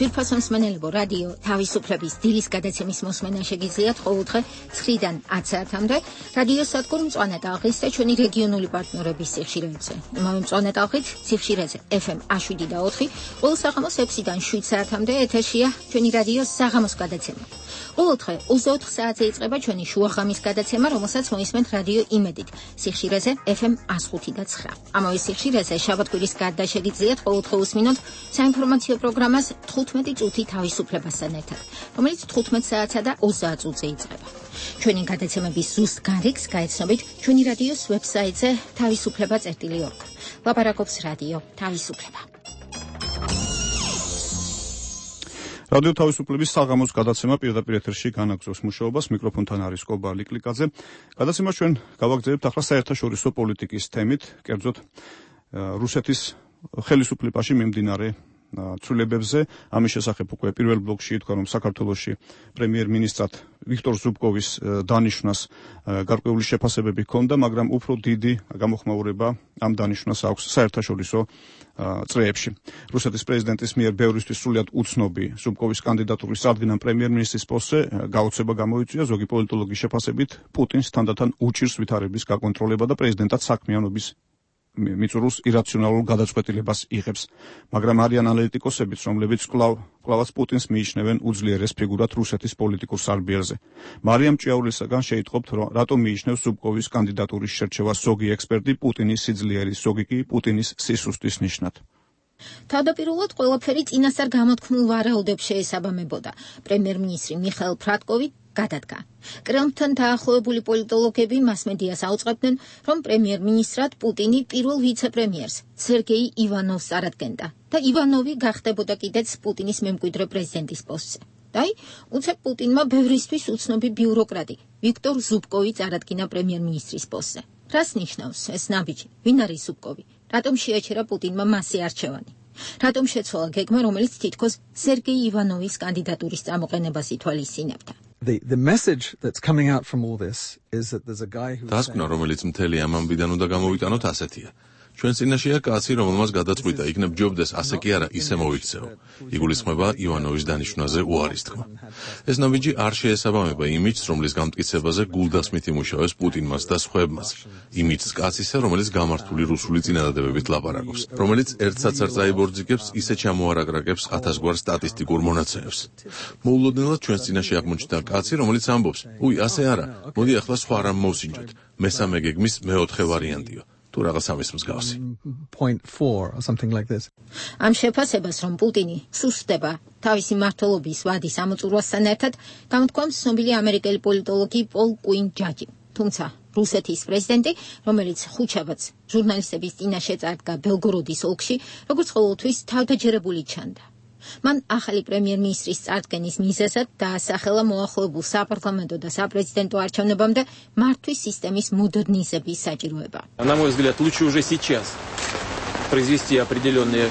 ძვირფასო მსმენელებო, რადიო თავისუფლების დილის გადაცემის მოსმენა შეგიძლიათ ყოველდღე ცხრიდან ათ საათამდე რადიო სადგურ მწვანე ტალღის და ჩვენი რეგიონული პარტნიორების სიხშირეებზე. იმავე მწვანე ტალღით სიხშირეზე ეფ ემ შვიდ და ოთხი, ყოველ საღამოს ექვსიდან შვიდ საათამდე ეთერშია ჩვენი რადიოს საღამოს გადაცემა. ყოველდღე ოცდაოთხ საათზე იწყება ჩვენი შუაღამის გადაცემა, რომელსაც მოისმენთ რადიო იმედით სიხშირეზე ეფ ემ ხუთი და ცხრა. ამავე სიხშირეზე შაბათ-კვირის გარდა შეგიძლიათ ყოველდღე უსმინოთ საინფორმაციო პროგრამას თხუთმეტი წუთი თავისუფლებასთან ერთად, რომელიც თხუთმეტ საათსა და ოცდაათ წუთზე იწყება. ჩვენი გადაცემების ზუსტ განრიგს გაეცნობით ჩვენი რადიოს ვებსაიტზე თავისუფლება წერტილი ორგ. ლაპარაკობს რადიო თავისუფლება. რადიო თავისუფლების საღამოს გადაცემა პირდაპირ ეთერში განაგრძობს მუშაობას. მიკროფონთან არის კობა ლიკლიკაძე. გადაცემას ჩვენ გავაგრძელებთ ახლა საერთაშორისო პოლიტიკის თემით, კერძოდ რუსეთის ხელისუფლებაში მიმდინარე ცვლილებებზე. ამის შესახებ უკვე პირველ ბლოკში ითქვა, რომ საქართველოში პრემიერ-მინისტრად ვიქტორ ზუბკოვის დანიშვნას გარკვეული შეფასებები ჰქონდა, მაგრამ უფრო დიდი გამოხმაურება ამ დანიშვნას აქვს საერთაშორისო წრეებში. რუსეთის პრეზიდენტის მიერ ბევრისთვის სრულიად უცნობი ზუბკოვის კანდიდატურის წარდგენა პრემიერ-მინისტრის პოსტზე გაოცება გამოიწვია. ზოგი პოლიტოლოგის შეფასებით პუტინს თანდათან უჭირს ვითარების გაკონტროლება და პრეზიდენტად საქმიანობის მიწურულს ირაციონალურ გადაწყვეტილებას იღებს, მაგრამ არიან ანალიტიკოსებიც, რომლებიც კვლავ კვლავაც პუტინს მიიჩნევენ უძლიერეს ფიგურად რუსეთის პოლიტიკურ სარბიელზე. მარიამ ჭიაურლისაგან შეიტყობთ, რომ რატომ მიიჩნევს ზუბკოვის კანდიდატურის შერჩევას ზოგი ექსპერტი პუტინის სიძლიერის, ზოგი კი პუტინის სისუსტის ნიშნად. თავდაპირველად ყველაფერი წინასწარ გამოთქმულ ვარაუდებს შეესაბამებოდა. პრემიერ-მინისტრი მიხაილ ფრატკოვი გადადგა. კრემლთან დაახლოებული პოლიტოლოგები მასმედიას აუწყებდნენ, რომ პრემიერ-მინისტრად პუტინი პირველ ვიცე-პრემიერს სერგეი ივანოვს წარადგენდა და ივანოვი გახდებოდა კიდეც პუტინის მემკვიდრე პრეზიდენტის პოსტზე. და უცებ პუტინმა ბევრისთვის უცნობი ბიუროკრატი ვიქტორ ზუბკოვი წარადგინა პრემიერ-მინისტრის პოსტზე. რას ნიშნავს ეს ნაბიჯი? ვინ არის ზუბკოვი? რატომ შეაჩერა პუტინმა მასზე არჩევანი? რატომ შეცვალა გეგმა, რომელიც თითქოს სერგეი ივანოვის კანდიდატურის წამოყენებას ითვალისწინებდა? The the message that's coming out from all this is that there's a guy who დასკვნა, რომელიც მთელი ამ ამბიდან უნდა გამოვიტანოთ ასეთია. ჩვენ წინაშეა კაცი, რომელმაც გადაწყვიტა იქნებ ჯობდეს ასე კი არა ისე მოიქცეო. იგულისხმება ივანოვის დანიშვნაზე უარის თქმა. ეს ნაბიჯი არ შეესაბამება იმიჯს, რომლის გამტკიცებაზე გულდასმით იმუშავეს პუტინმაც და სხვებმაც. იმიჯს კაცისა, რომელიც გამართული რუსული წინადადებებით ლაპარაკობს, რომელიც ერთსაც არ წაიბორძიგებს, ისე ჩამოარაგრაგებს ათასგვარ სტატისტიკურ მონაცემებს. მოულოდნელად ჩვენ წინაშე აღმოჩნდა კაცი, რომელიც ამბობს: "უი, ასე არა, მოდი ახლა სხვა რამ მოვსინჯოთ. მესამე გეგმის მეოთხე ვარიანტიო." თუ რაღაც ამის მსგავსი. point four or something like this. ამ შეფასებას, რომ პუტინი სუსტდება თავისი მმართველობის ვადის ამოწურვასთან ერთად, გამოთქვამს ცნობილი ამერიკელი პოლიტოლოგი პოლ კუინ ჯაჯი. თუმცა რუსეთის პრეზიდენტი, რომელიც ხუთშაბათს ჟურნალისტების წინაშე წარდგა ბელგოროდის ოლქში, როგორც ყოველთვის თავდაჯერებული ჩანდა. მან ახალი პრემიერ-მინისტრის წარდგენის მიზეზად დაასახელა მოახლოებულ საპარლამენტო და საპრეზიდენტო არჩევნებამდე მართვის სისტემის მოდერნიზების საჭიროება. На мой взгляд, лучше уже сейчас произвести определенные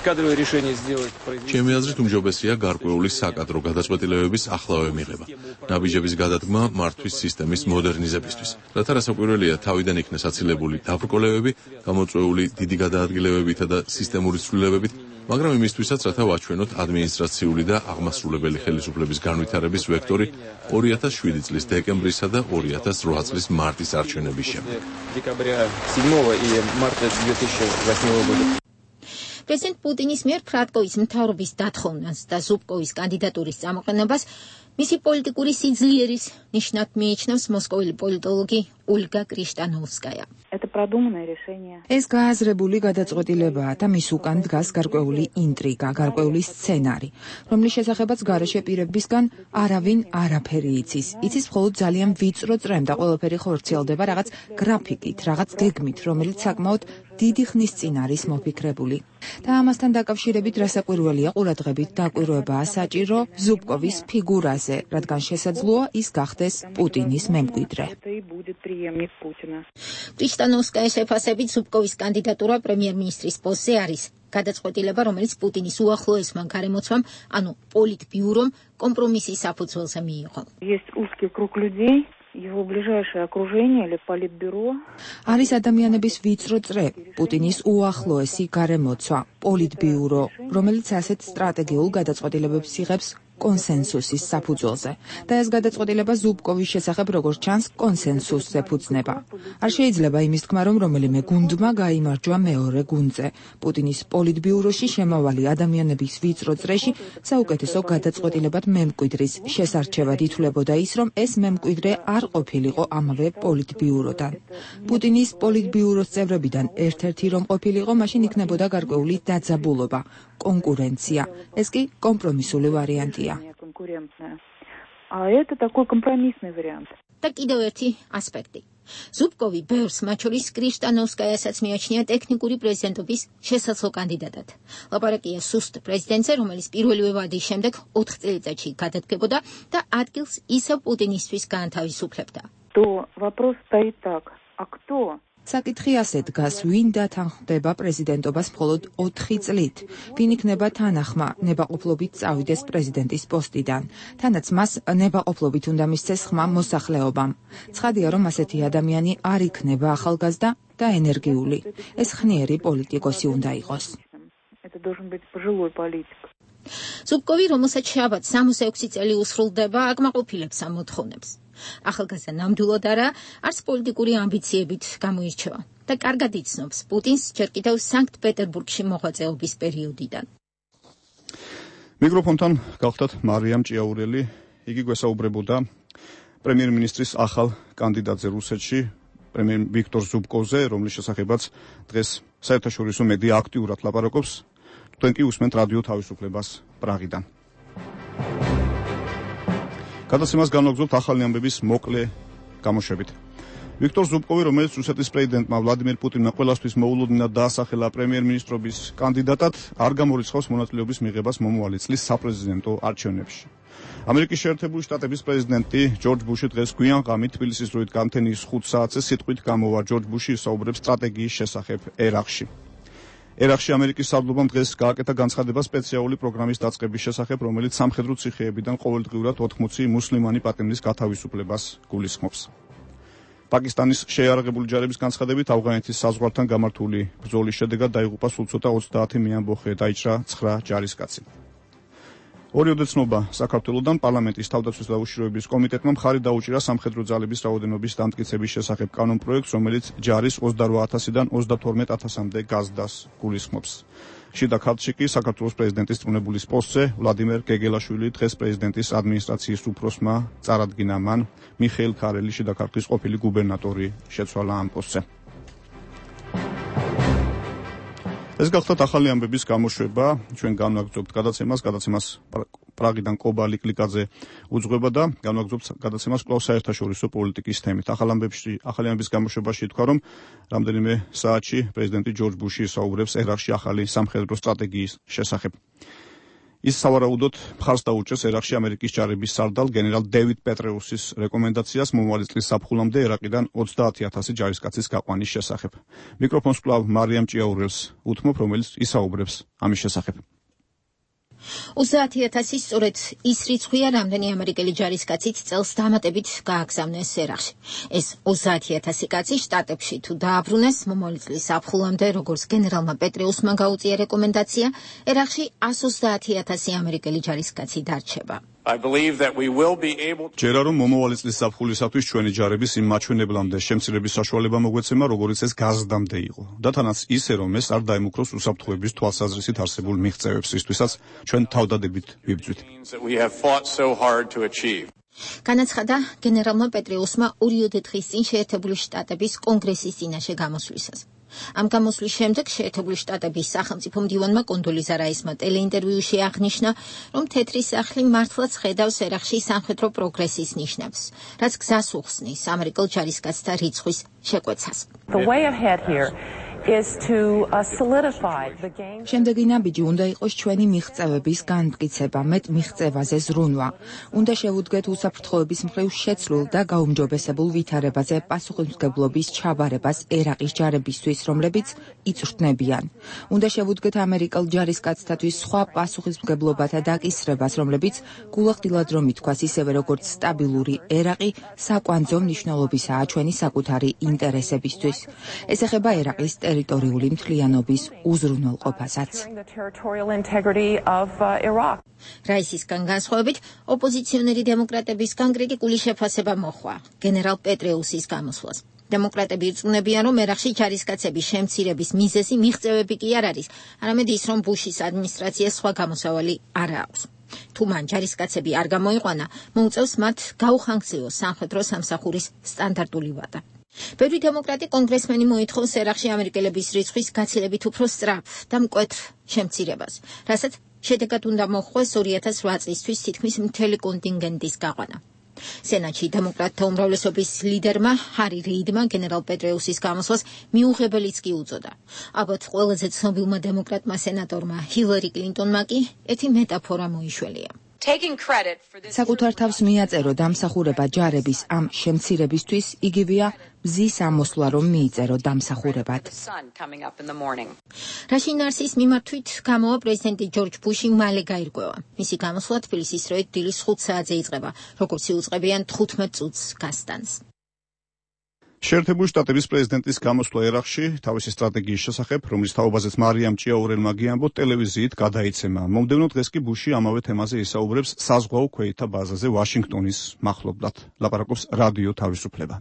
кадровые решения сделать. ჩემი აზრით უმჯობესია გარკვეული საკადრო გადაწყვეტილებების ახლავე მიღება. ნაბიჯების გადადგმა მართვის სისტემის მოდერნიზებისთვის. რათა რასაკვირველია თავიდან იქნეს აცილებული დაბრკოლებები, გამოწვეული დიდი გადაადგილებებითა და სისტემური ცვლილებებით, მაგრამ იმისთვისაც რათა ვაჩვენოთ ადმინისტრაციული და აღმასრულებელი ხელისუფლების განვითარების ვექტორი ორი ათას შვიდი წლის დეკემბრისა და ორი ათას რვა წლის მარტის არჩევნების შემდეგ. პრეზიდენტ პუტინის მიერ ფრატკოვის მთავრობის დათხოვნას და ზუბკოვის კანდიდატურის წამოყენებას მისი პოლიტიკური სიძლიერის ნიშნად მიიჩნევს მოსკოველი პოლიტოლოგი ოლგა კრიშტანოვსკაია. ეს გააზრებული გადაწყვეტილებაა და მის უკან დგას გარკვეული ინტრიგა, გარკვეული სცენარი, რომლის შესახებაც გარეშე პირებისგან არავინ არაფერი იცის. იცის მხოლოდ ძალიან ვიწრო წრემ და ყველაფერი ხორციელდება რაღაც გრაფიკით, რაღაც გეგმით, რომელიც საკმაოდ დიდი ხნის წინ არის მოფიქრებული. და ამასთან დაკავშირებით რასაკვირველია ყურადღებით დაკვირვებაა საჭირო ზუბკოვის ფიგურაზე, რადგან შესაძლოა ის გახდეს პუტინის მემკვიდრე. კრიშტანოვსკაის შეფასებით ზუბკოვის კანდიდატურა პრემიერ-მინისტრის პოსტზე არის გადაწყვეტილება, რომელიც პუტინის უახლოესმა გარემოცვამ, ანუ პოლიტბიურომ კომპრომისის საფუძველზე მიიღო. Его ближайшее окружение или политбюро. არის ადამიანების ვიწრო წრე, პუტინის უახლოესი გარემოცვა, პოლიტბიურო, რომელიც ასეთ სტრატეგიულ გადაწყვეტილებებს იღებს კონსენსუსის საფუძველზე. და ეს გადაწყვეტილება ზუბკოვის შესახებ როგორც ჩანს კონსენსუსზე ფუძნება. არ შეიძლება იმის თქმა, რომ რომელიმე გუნდმა გაიმარჯვა მეორე გუნდზე. პუტინის პოლიტბიუროში შემავალი ადამიანების ვიწრო წრეში საუკეთესო გადაწყვეტილებად მემკვიდრის შესარჩევად ითვლებოდა ის, რომ ეს მემკვიდრე არ ყოფილიყო ამავე პოლიტბიუროდან. პუტინის პოლიტბიუროს წევრებიდან ერთ-ერთი რომ ყოფილიყო, მაშინ იქნებოდა გარკვეული დაძაბულობა, კონკურენცია. ეს კი კომპრომისული ვარიანტია. А это такой компромиссный вариант. და კიდევ ერთი ასპექტი. ზუბკოვი ბევრს, მათ შორის კრიშტანოვსკაიასაც მიაჩნია ტექნიკური პრეზიდენტობის შესაძლო კანდიდატად. ლაპარაკია სუსტ პრეზიდენტზე, რომელიც პირველივე ვადის შემდეგ ოთხ წელიწადში გადადგებოდა და ადგილს ისევ პუტინისთვის გაანთავისუფლებდა. То вопрос стоит так. А кто? საკითხი ასე დგას, ვინ დათანხმდება პრეზიდენტობას მხოლოდ ოთხი წლით, ვინ იქნება თანახმა ნებაყოფლობით წავიდეს პრეზიდენტის პოსტიდან, თანაც მას ნებაყოფლობით უნდა მისცეს ხმა მოსახლეობამ. ცხადია, რომ ასეთი ადამიანი არ იქნება ახალგაზრდა და ენერგიული. ეს ხნიერი პოლიტიკოსი უნდა იყოს. Это должен быть пожилой политик. ზუბკოვი, რომელსაც შაბათ სამოცდაექვსი წელი უსრულდება, აკმაყოფილებს ამ მოთხოვნებს. ახალგაზრდა ნამდვილად არა, არც პოლიტიკური ამბიციებით გამოირჩევა და კარგად იცნობს პუტინს ჯერ კიდევ სანქტ-პეტერბურგში მოღვაწეობის პერიოდიდან. მიკროფონთან გავხდათ მარიამ ჭიაურელი, იგი გვესაუბრებოდა პრემიერ-მინისტრის ახალ კანდიდატზე რუსეთში, პრემიერ ვიქტორ ზუბკოვზე, რომლის შესახებაც დღეს საერთაშორისო მედია აქტიურად ლაპარაკობს. თქვენ კი უსმენთ რადიო თავისუფლებას პრაღიდან. გადაცემას განვაგრძობთ ახალი ამბების მოკლე გამოშვებით. ვიქტორ ზუბკოვი, რომელიც რუსეთის პრეზიდენტმა ვლადიმერ პუტინმა ყველასთვის მოულოდნელად დაასახელა პრემიერ-მინისტრობის კანდიდატად, არ გამორიცხავს მონაწილეობის მიღებას მომავალი წლის საპრეზიდენტო არჩევნებში. ამერიკის შეერთებული შტატების პრეზიდენტი ჯორჯ ბუში დღეს გვიან ღამით თბილისის დროით გამთენის ხუთ საათზე სიტყვით გამოვა. ჯორჯ ბუში ისაუბრებს სტრატეგიის შესახებ ერაყში. ერაყში ამერიკის სარდლობამ დღეს გააკეთა განცხადება სპეციალური პროგრამის დაწყების შესახებ, რომელიც სამხედრო ციხეებიდან ყოველდღიურად ოთხმოცი მუსლიმანი პატიმრის გათავისუფლებას გულისხმობს. პაკისტანის შეიარაღებული ჯარების განცხადებით ავღანეთის საზღვართან გამართული ბრძოლის შედეგად დაიღუპა სულ ცოტა ოცდაათი მეამბოხე, დაიჭრა ცხრა ჯარისკაცი. ორი ოდეცნობა საქართველოდან პარლამენტის თავდაცვის და უშიშროების კომიტეტმა მხარი დაუჭირა სამხედრო ძალების რაოდენობის დამტკიცების შესახებ კანონპროექტს, რომელიც ჯარის ოცდარვა ათასიდან ოცდათორმეტ ათასამდე გაზრდას გულისხმობს. შიდა ქართლში კი საქართველოს პრეზიდენტის წვრთნებულის პოსტზე ვლადიმერ გეგელაშვილი დღეს პრეზიდენტის ადმინისტრაციის უფროსმა წარადგინა. მან მიხეილ ქარელი, შიდა ქართლის ყოფილი გუბერნატორი, შეცვალა ამ პოსტზე. ეს გახლავთ ახალი ამბების გამოშვება, ჩვენ განვაგრძობთ გადაცემას, გადაცემას პრაღიდან კობალი კლიკაძე უძღვება და განვაგრძობთ გადაცემას კვლავ საერთაშორისო პოლიტიკის თემით. ახალ ამბებში, ახალი ამბების გამოშვებაში ითქვა, რომ რამდენიმე საათში პრეზიდენტი ჯორჯ ბუში ისაუბრებს ერაყში ახალი სამხედრო სტრატეგიის შესახებ. ის სავარაუდოდ მხარს დაუჭერს ერაყში ამერიკის ჯარების სარდალ გენერალ დევიდ პეტრეუსის რეკომენდაციას მომავალი წლის ზაფხულამდე ერაყიდან ოცდაათი ათასი ჯარისკაცის გაყვანის შესახებ. მიკროფონს კვლავ მარიამ ჭიაურელს უთმობ, რომელიც ისაუბრებს ამის შესახებ. ოცდაათი ათასი სწორედ ის რიცხვია, რამდენი ამერიკელი ჯარისკაცით წელს დამატებით გააგზავნეს ერაყში. ეს ოცდაათი ათასი კაცი შტატებში თუ დააბრუნეს, მომავალი წლის ზაფხულამდე, როგორც გენერალმა პეტრეუსმა გაუწია რეკომენდაცია, ერაყში ას ოცდაათი ათასი ამერიკელი ჯარისკაცი დარჩება. ჯერა რომ მომავალი წლის ზაფხულისათვის ჩვენი ჯარების იმ მაჩვენებლამდე შემცირების საშუალება მოგვეცემა, როგორც ეს გაზრდამდე იყო. და თანაც ისე, რომ ეს არ დაემუქროს უსაფრთხოების თვალსაზრისით არსებულ მიღწევებს, რისთვისაც ჩვენ თავდადებით ვიბრძვით. განაცხადა გენერალმა პეტრეუსმა ორიოდე დღის წინ შეერთებული შტატების კონგრესის წინაშე გამოსვლისას. ამ გამოსვლის შემდეგ შეერთებული შტატების სახელმწიფო მდივანმა კონდოლიზა რაისმა ტელეინტერვიუში აღნიშნა, რომ თეთრი სახლი მართლაც ხედავს ერაყში სამხედრო პროგრესის ნიშნებს, რაც გზას უხსნის ამერიკელ ჯარისკაცთა რიცხვის შეკვეცას. შემდეგი ნაბიჯი უნდა იყოს ჩვენი მიღწევების განმტკიცება, მეტ მიღწევაზე ზრუნვა. უნდა შევუდგეთ უსაფრთხოების მხრივ შეცვლილ და გაუმჯობესებულ ვითარებაზე პასუხისმგებლობის ჩაბარებას ერაყის ჯარებისთვის, რომლებიც იწვრთნებიან. უნდა შევუდგეთ ამერიკელ ჯარისკაცთათვის სხვა პასუხისმგებლობათა დაკისრებას, რომლებიც გულახდილად რომ ითქვას, ისევე როგორც სტაბილური ერაყი საკვანძო მნიშვნელობისაა ჩვენი საკუთარი ინტერესებისთვის. ეს ეხება ერაყის ტერიტორიული მთლიანობის უზრუნველყოფასაც. რაისისგან განსხვავებით, ოპოზიციონერი დემოკრატებისგან კრიტიკული შეფასება მოჰყვა გენერალ პეტრეუსის გამოსვლას. დემოკრატები ირწმუნებიან, რომ ერაყში ჯარისკაცების შემცირების მიზეზი მიღწევები კი არ არის, არამედ ის, რომ ბუშის ადმინისტრაციას სხვა გამოსავალი არ აქვს. თუ მან ჯარისკაცები არ გამოიყვანა, მოუწევს მათ გაუხანგრძლივოს სამხედრო სამსახურის სტანდარტული ვადა. ბევრი დემოკრატი კონგრესმენი მოითხოვს ერაყში ამერიკელების რიცხვის გაცილებით უფრო სწრაფ და მკვეთრ შემცირებას, რასაც შედეგად უნდა მოჰყვეს ორი ათას ოთხ წლისთვის თითქმის მთელი კონტინგენტის გაყვანა. სენატში დემოკრატთა უმრავლესობის ლიდერმა ჰარი რეიდმა გენერალ პეტრეუსის გამოსვლას მიუღებელიც კი უწოდა. ალბათ ყველაზე ცნობილმა დემოკრატმა სენატორმა ჰილარი კლინტონმა კი ერთი მეტაფორა მოიშველია. საკუთარ თავს მიაწერო დამსახურება ჯარების ამ შემცირებისთვის, იგივეა მზის ამოსვლა რომ მიიწერო დამსახურებად. რაში ნარსის მიმართვით გამოვა პრეზიდენტი ჯორჯ ბუში მალე გაირკვევა. მისი გამოსვლა თბილისის როით დილის ხუთ საათზე იწყება, როგორც იუწყებიან თხუთმეტ წუთს გასტანს. შეერთებული შტატების პრეზიდენტის გამოსვლა ერაყში თავისი სტრატეგიის შესახებ, რომლის თაობაზეც მარიამ ჭიაურელმა გიამბო, ტელევიზიით გადაიცემა. მომდევნო დღეს კი ბუში ამავე თემაზე ისაუბრებს საზღვაო ქვეითთა ბაზაზე ვაშინგტონის მახლობლად. ლაპარაკობს რადიო თავისუფლება.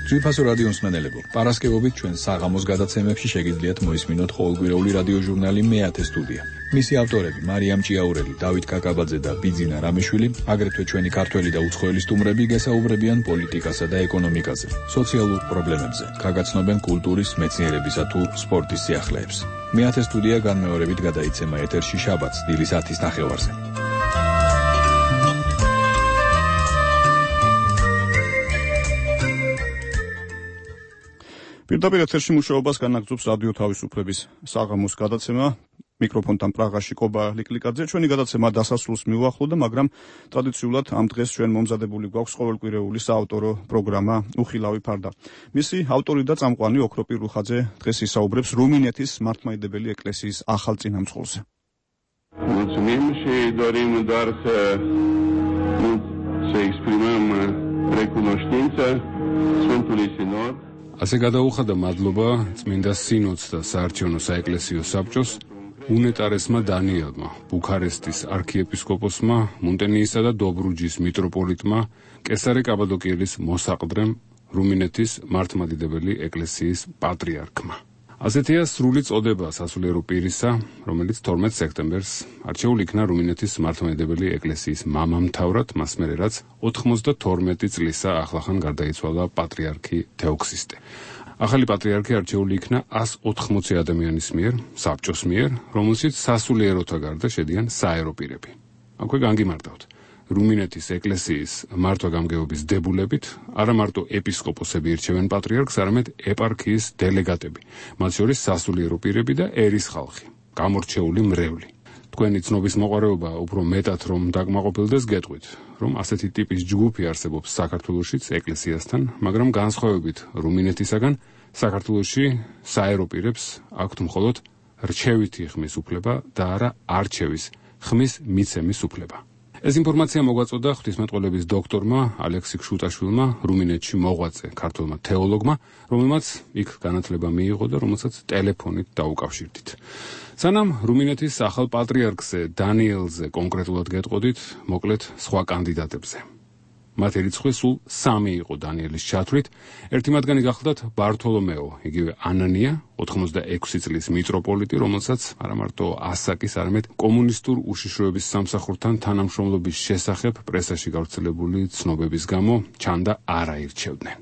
ძვირფასო რადიო მსმენელებო, პარასკევობით ჩვენ საღამოს გადაცემებში შეგიძლიათ მოისმინოთ ყოველკვირეული რადიო ჟურნალი მეათე სტუდია. მისი ავტორები მარიამ ჭიაურელი, დავით კაკაბაძე და ბიძინა რამიშვილი, აგრეთვე ჩვენი ქართველი და უცხოელი სტუმრები გესაუბრებიან პოლიტიკასა და ეკონომიკაზე, სოციალურ პრობლემებზე, გაგაცნობენ კულტურის, მეცნიერებისა თუ სპორტის სიახლეებს. მეათე სტუდია განმეორებით გადაიცემა ეთერში შაბათს დილის ათის ნახევარზე. პირდაპირ ეთერში მუშაობას განაგრძობს რადიო თავისუფლების საღამოს გადაცემა. მიკროფონთან პრაღაში კობა ლიკლიკაძე. ჩვენი გადაცემა დასასრულს მიუახლოვდა, მაგრამ ტრადიციულად ამ დღეს ჩვენ მომზადებული გვაქვს ყოველკვირეული საავტორო პროგრამა უხილავი ფარდა. მისი ავტორი და წამყვანი ოქროპირ რუხაძე დღეს ისაუბრებს რუმინეთის მართლმადიდებელი ეკლესიის ახალ წინამძღოლზე. Mulțumim și dorim doar să, să exprimăm recunoștință Sfântului Sinod. ასე გადაუხადა მადლობა წმინდა სინოდს და საარჩევნო საეკლესიო საბჭოს, უნეტარესმა დანიელმა, ბუქარესტის არქიეპისკოპოსმა, მონტენიისა და დობრუჯის მიტროპოლიტმა, კესარე კაბადოკიელის მოსაყდრემ, რუმინეთის მართლმადიდებელი ეკლესიის პატრიარქმა. ასეთია სრული წოდება სასულიერო პირისა, რომელიც თორმეტ სექტემბერს არჩეულ იქნა რუმინეთის მართლმადიდებელი ეკლესიის მამამთავრად, მას მერე რაც ოთხმოცდათორმეტი წლისა ახლახან გარდაიცვალა პატრიარქი თეოქსისტე. ახალი პატრიარქი არჩეული იქნა ას ოთხმოცი ადამიანის მიერ, საბჭოს მიერ, რომელშიც სასულიეროთა გარდა შედიან საერო პირები. აქვე განგიმარტავთ. რუმინეთის ეკლესიის მართვა-გამგეობის დებულებით არა მარტო ეპისკოპოსები ირჩევენ პატრიარქს, არამედ ეპარქიის დელეგატები, მათ შორის სასულიერო პირები და ერის ხალხი, გამორჩეული მრევლი. თქვენი ცნობის მოყარეობა უფრო მეტად რომ დაკმაყოფილდეს გეტყვით, რომ ასეთი ტიპის ჯგუფი არსებობს საქართველოშიც ეკლესიასთან, მაგრამ განსხვავებით რუმინეთისაგან, საქართველოში საერო პირებს აქვთ მხოლოდ რჩევითი ხმის უფლება და არა არჩევის ხმის მიცემის უფლება. ეს ინფორმაცია მოგვაწოდა ღვთისმეტყველების დოქტორმა ალექსი ქშუტაშვილმა, რუმინეთში მოღვაწე ქართველმა თეოლოგმა, რომელმაც იქ განათლება მიიღო და რომელსაც ტელეფონით დაუკავშირდით. სანამ რუმინეთის ახალ პატრიარქზე დანიელზე კონკრეტულად გეტყოდით, მოკლედ სხვა კანდიდატებზე. მათი რიცხვი სულ სამი იყო დანიელის ჩათვლით, ერთი მათგანი გახლდათ ბართოლომეო, იგივე ანანია, ოთხმოცდაექვსი წლის მიტროპოლიტი, რომელსაც არა მარტო ასაკის, არამედ კომუნისტურ უშიშროების სამსახურთან თანამშრომლობის შესახებ პრესაში გავრცელებული ცნობების გამო ჩანდა არ აირჩევდნენ.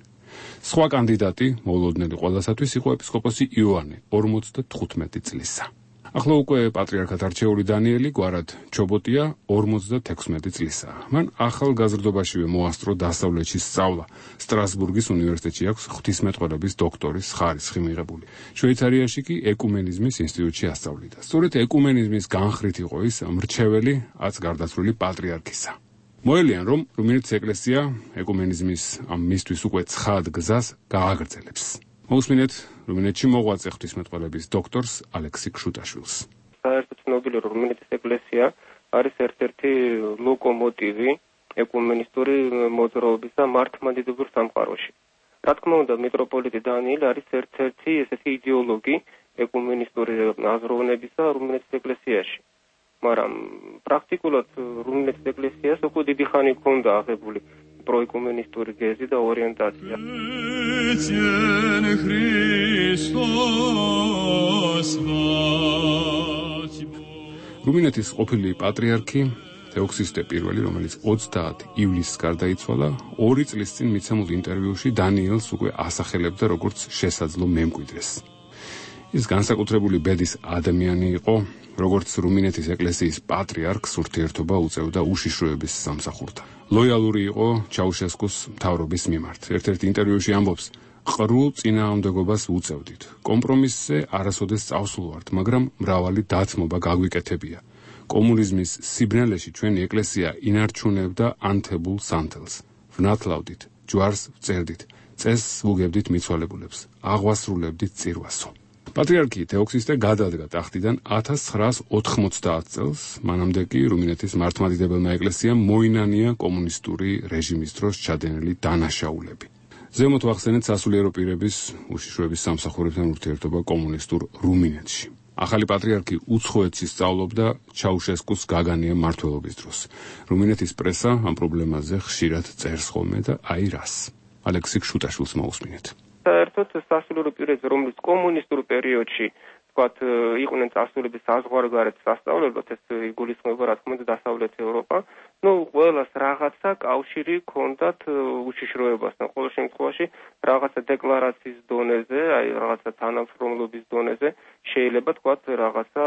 სხვა კანდიდატი, მოულოდნელი ყველასათვის, იყო ეპისკოპოსი იოანე, ორმოცდათხუთმეტი წლისა. ახლა უკვე პატრიარქად არჩეული დანიელი გვარად ჩობოტია ორმოცდათექვსმეტი წლისა. მან ახალგაზრდობაშივე მოასწრო დასავლეთში სწავლა. სტრასბურგის უნივერსიტეტში აქვს ღვთისმეტყველების დოქტორის ხარისხი მიღებული. შვეიცარიაში კი ეკუმენიზმის ინსტიტუტში ასწავლიდა. სწორედ ეკუმენიზმის განხრით იყო ის მრჩეველი აც გარდაცვლილი პატრიარქისა. მოელიან, რომ რუმინეთის ეკლესია ეკუმენიზმის ამ მისთვის უკვე ცხად გზას გააგრძელებს. მოусმინეთ რუმინეთში მოღვაწე ღვთისმეტყველების დოქტორს ალექსი ქშუტაშვილს. საერთოდ ცნობილი რუმინეთის ეკლესია არის ერთ-ერთი ლოკომოტივი ეკუმენისტური მოძრაობის და მართლმადიდებელ სამყაროში. რა თქმა უნდა, მიტროპოლიტი დანიელი არის ერთ-ერთი ესეთი იდეოლოგი ეკუმენისტური აზროვნებისა რუმინეთის ეკლესიაში. მაგრამ პრაქტიკულად რუმინეთის ეკლესიას უკვე დიდი ხანი ჰქონდა აღებული პროეკუმენისტური გეზი და ორიენტაცია. რუმინეთის ყოფილი პატრიარქი თეოქსისტე პირველი, რომელიც ოცდაათი ივლისს გარდაიცვალა, ორი წლის წინ მიცემულ ინტერვიუში დანიელს უკვე ასახელებდა როგორც შესაძლო მემკვიდრეს. ის განსაკუთრებული ბედის ადამიანი იყო, როგორც რუმინეთის ეკლესიის პატრიარქს ურთიერთობა უწევდა უშიშროების სამსახურთან. ლოიალური იყო ჩაუშესკუს მთავრობის მიმართ. ერთ-ერთ ინტერვიუში ამბობს, ყრულ წინააღმდეგობას უწევდით. კომპრომისზე არასოდეს წავსულვართ, მაგრამ მრავალი დათმობა გაგვიკეთებია. კომუნიზმის სიბნელეში ჩვენი ეკლესია ინარჩუნებდა ანთებულ სანთელს. ვნათლავდით, ჯვარს ვწერდით, წესს ვუგებდით მიცვალებულებს, აღვასრულებდით წირვასო. პატრიარქი თეოქსისტე გადადგა ტახტიდან ათას ცხრაას ოთხმოცდაათ წელს, მანამდე კი რუმინეთის მართლმადიდებელმა ეკლესიამ მოინანია კომუნისტური რეჟიმის დროს ჩადენილი დანაშაულები. ზემოთ ვახსენეთ სასულიერო პირების უშიშროების სამსახურებთან ურთიერთობა კომუნისტურ რუმინეთში. ახალი პატრიარქი უცხოეთში სწავლობდა ჩაუშესკუს გაგანია მმართველობის დროს. რუმინეთის პრესა ამ პრობლემაზე ხშირად წერს ხოლმე და აი რას. ალექსი ქშუტაშვილს მოусმინეთ. საერთოდ სასულიერო პირებზე, რომლის კომუნისტურ პერიოდში ვთქვათ, იყვნენ წასულები საზღვარგარეთ სასწავლებლად, ეს იგულისხმება რა თქმა უნდა დასავლეთ ევროპა, ну, ყველას რაღაცა კავშირი ჰქონდათ უშიშროებასთან. ყოველ შემთხვევაში რაღაცა დეკლარაციის დონეზე, აი რაღაცა თანამშრომლობის დონეზე შეიძლება ვთქვათ რაღაცა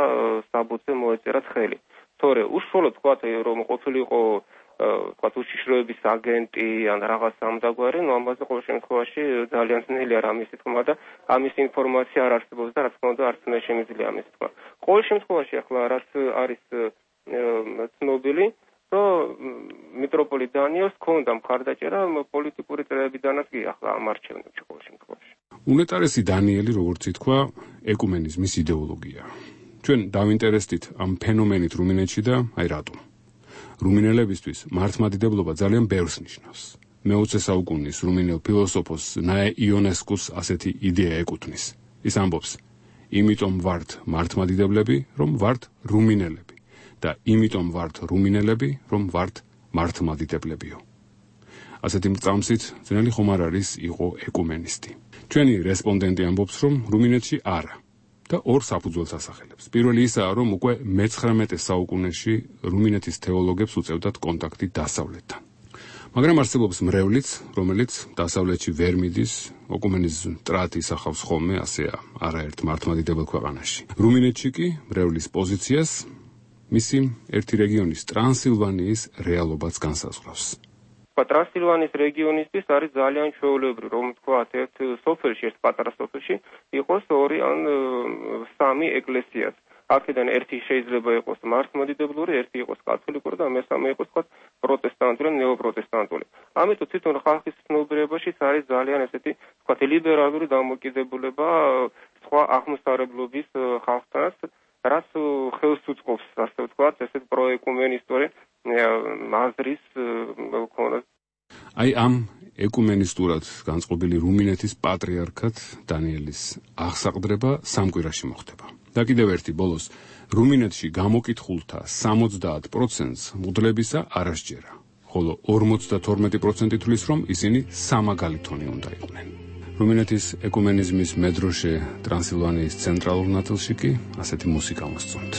საბუთზე მოეწერათ ხელი. თორე უშუალოდ ვთქვათ, რომ ყოფილიყო ვთქვათ უშიშროების აგენტი ან რაღაც ამდაგვარი, ну ამაზე ყოველ შემთხვევაში ძალიან ძნელია რამის თქმა და ამის ინფორმაცია არ არსებობს და რა თქმა უნდა არც მე შემიძლია ამის თქმა. ყოველ შემთხვევაში ახლა რაც არის ცნობილი, რომ მიტროპოლიტ დანიელს ჰქონდა მხარდაჭერა პოლიტიკური წრეებიდანაც კი ახლა ამ არჩევნებში ყოველ შემთხვევაში. უნეტარესი დანიელი, როგორც ითქვა, ეკუმენიზმის იდეოლოგია. ჩვენ დავინტერესდით ამ ფენომენით რუმინეთში და აი რატომ. რუმინელებისთვის მართლმადიდებლობა ძალიან ბევრს ნიშნავს. მეოცე საუკუნის რუმინელ ფილოსოფოს ნაე იონესკუს ასეთი იდეა ეკუთვნის. ის ამბობს, იმიტომ ვართ მართლმადიდებლები, რომ ვართ რუმინელები და იმიტომ ვართ რუმინელები, რომ ვართ მართლმადიდებლებიო. ასეთი მრწამსით ძნელი ხომ არ არის იყო ეკუმენისტი. ჩვენი რესპონდენტი ამბობს, რომ რუმინეთში არა და ორ საფუძველს ასახელებს. პირველი ისაა, რომ უკვე მეცხრამეტე საუკუნეში რუმინეთის თეოლოგებს უწევდათ კონტაქტი დასავლეთთან. მაგრამ არსებობს მრევლიც, რომელიც დასავლეთში ვერ მიდის, ეკუმენიზმ ტრატი ისახავს ხოლმე, ასეა, არაერთ მართლმადიდებელ ქვეყანაში. რუმინეთში კი მრევლის პოზიციას მისი ერთი რეგიონის ტრანსილვანიის რეალობაც განსაზღვრავს. ტრანსილვანიის რეგიონისთვის არის ძალიან ჩვეულებრივი, რომ თქვათ, ერთ სოფელში, ერთ პატარა სოფელში იყოს ორი ან სამი ეკლესიაც. აქედან ერთი შეიძლება იყოს მართლმადიდებლური, ერთი იყოს კათოლიკური და მესამე იყოს თქვათ პროტესტანტული, ნეოპროტესტანტული. ამიტომ თვითონ ხალხის ცნობიერებაშიც არის ძალიან ესეთი თქვათ ლიბერალური დამოკიდებულება სხვა აღმოსავლებლობის ხალხთანაც, რაც ხელს უწყობს, ასე ვთქვათ, ესეთ პროეკუმენისტური აზრის მქონე. აი ამ ეკუმენისტურად განწყობილი რუმინეთის პატრიარქად დანიელის აღსაყდრება სამ კვირაში მოხდება. და კიდევ ერთი ბოლოს რუმინეთში გამოკითხულთა სამოცდაათ პროცენტს მუდლებისა არ ასჯერა, ხოლო ორმოცდათორმეტი პროცენტი თვლის, რომ ისინი სამაგალითონი უნდა იყვნენ. რუმინეთის ეკუმენიზმის მედროშე ტრანსილვანიის ცენტრალურ ნაწილში კი ასეთი მუსიკა მოსწონთ.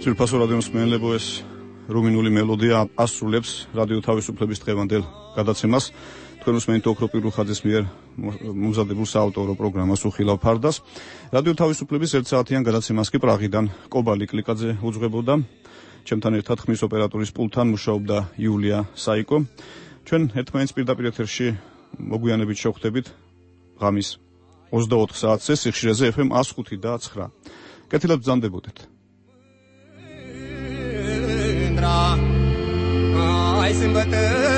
ძვირფასო რადიო მსმენელებო, ეს რუმინული მელოდია ასრულებს რადიო თავისუფლების დღევანდელ გადაცემას. თქვენ უსმენთ ოქრო პირუხაძის მიერ მომზადებულ საავტორო პროგრამას უხილავ ფარდას. რადიო თავისუფლების ერთ საათიან გადაცემას კი პრაღიდან კობალი კლიკაძე უძღვებოდა. ჩემთან ერთად ხმის ოპერატორის პულტთან მუშაობდა იულია საიკო. ჩვენ ერთმანეთს პირდაპირ ეთერში მოგვიანებით შევხვდებით ღამის ოცდაოთხ საათზე სიხშირეზე ეფ ემ one oh five და nine. კეთილად ბრძანდებოდეთ. Ai sâmbătă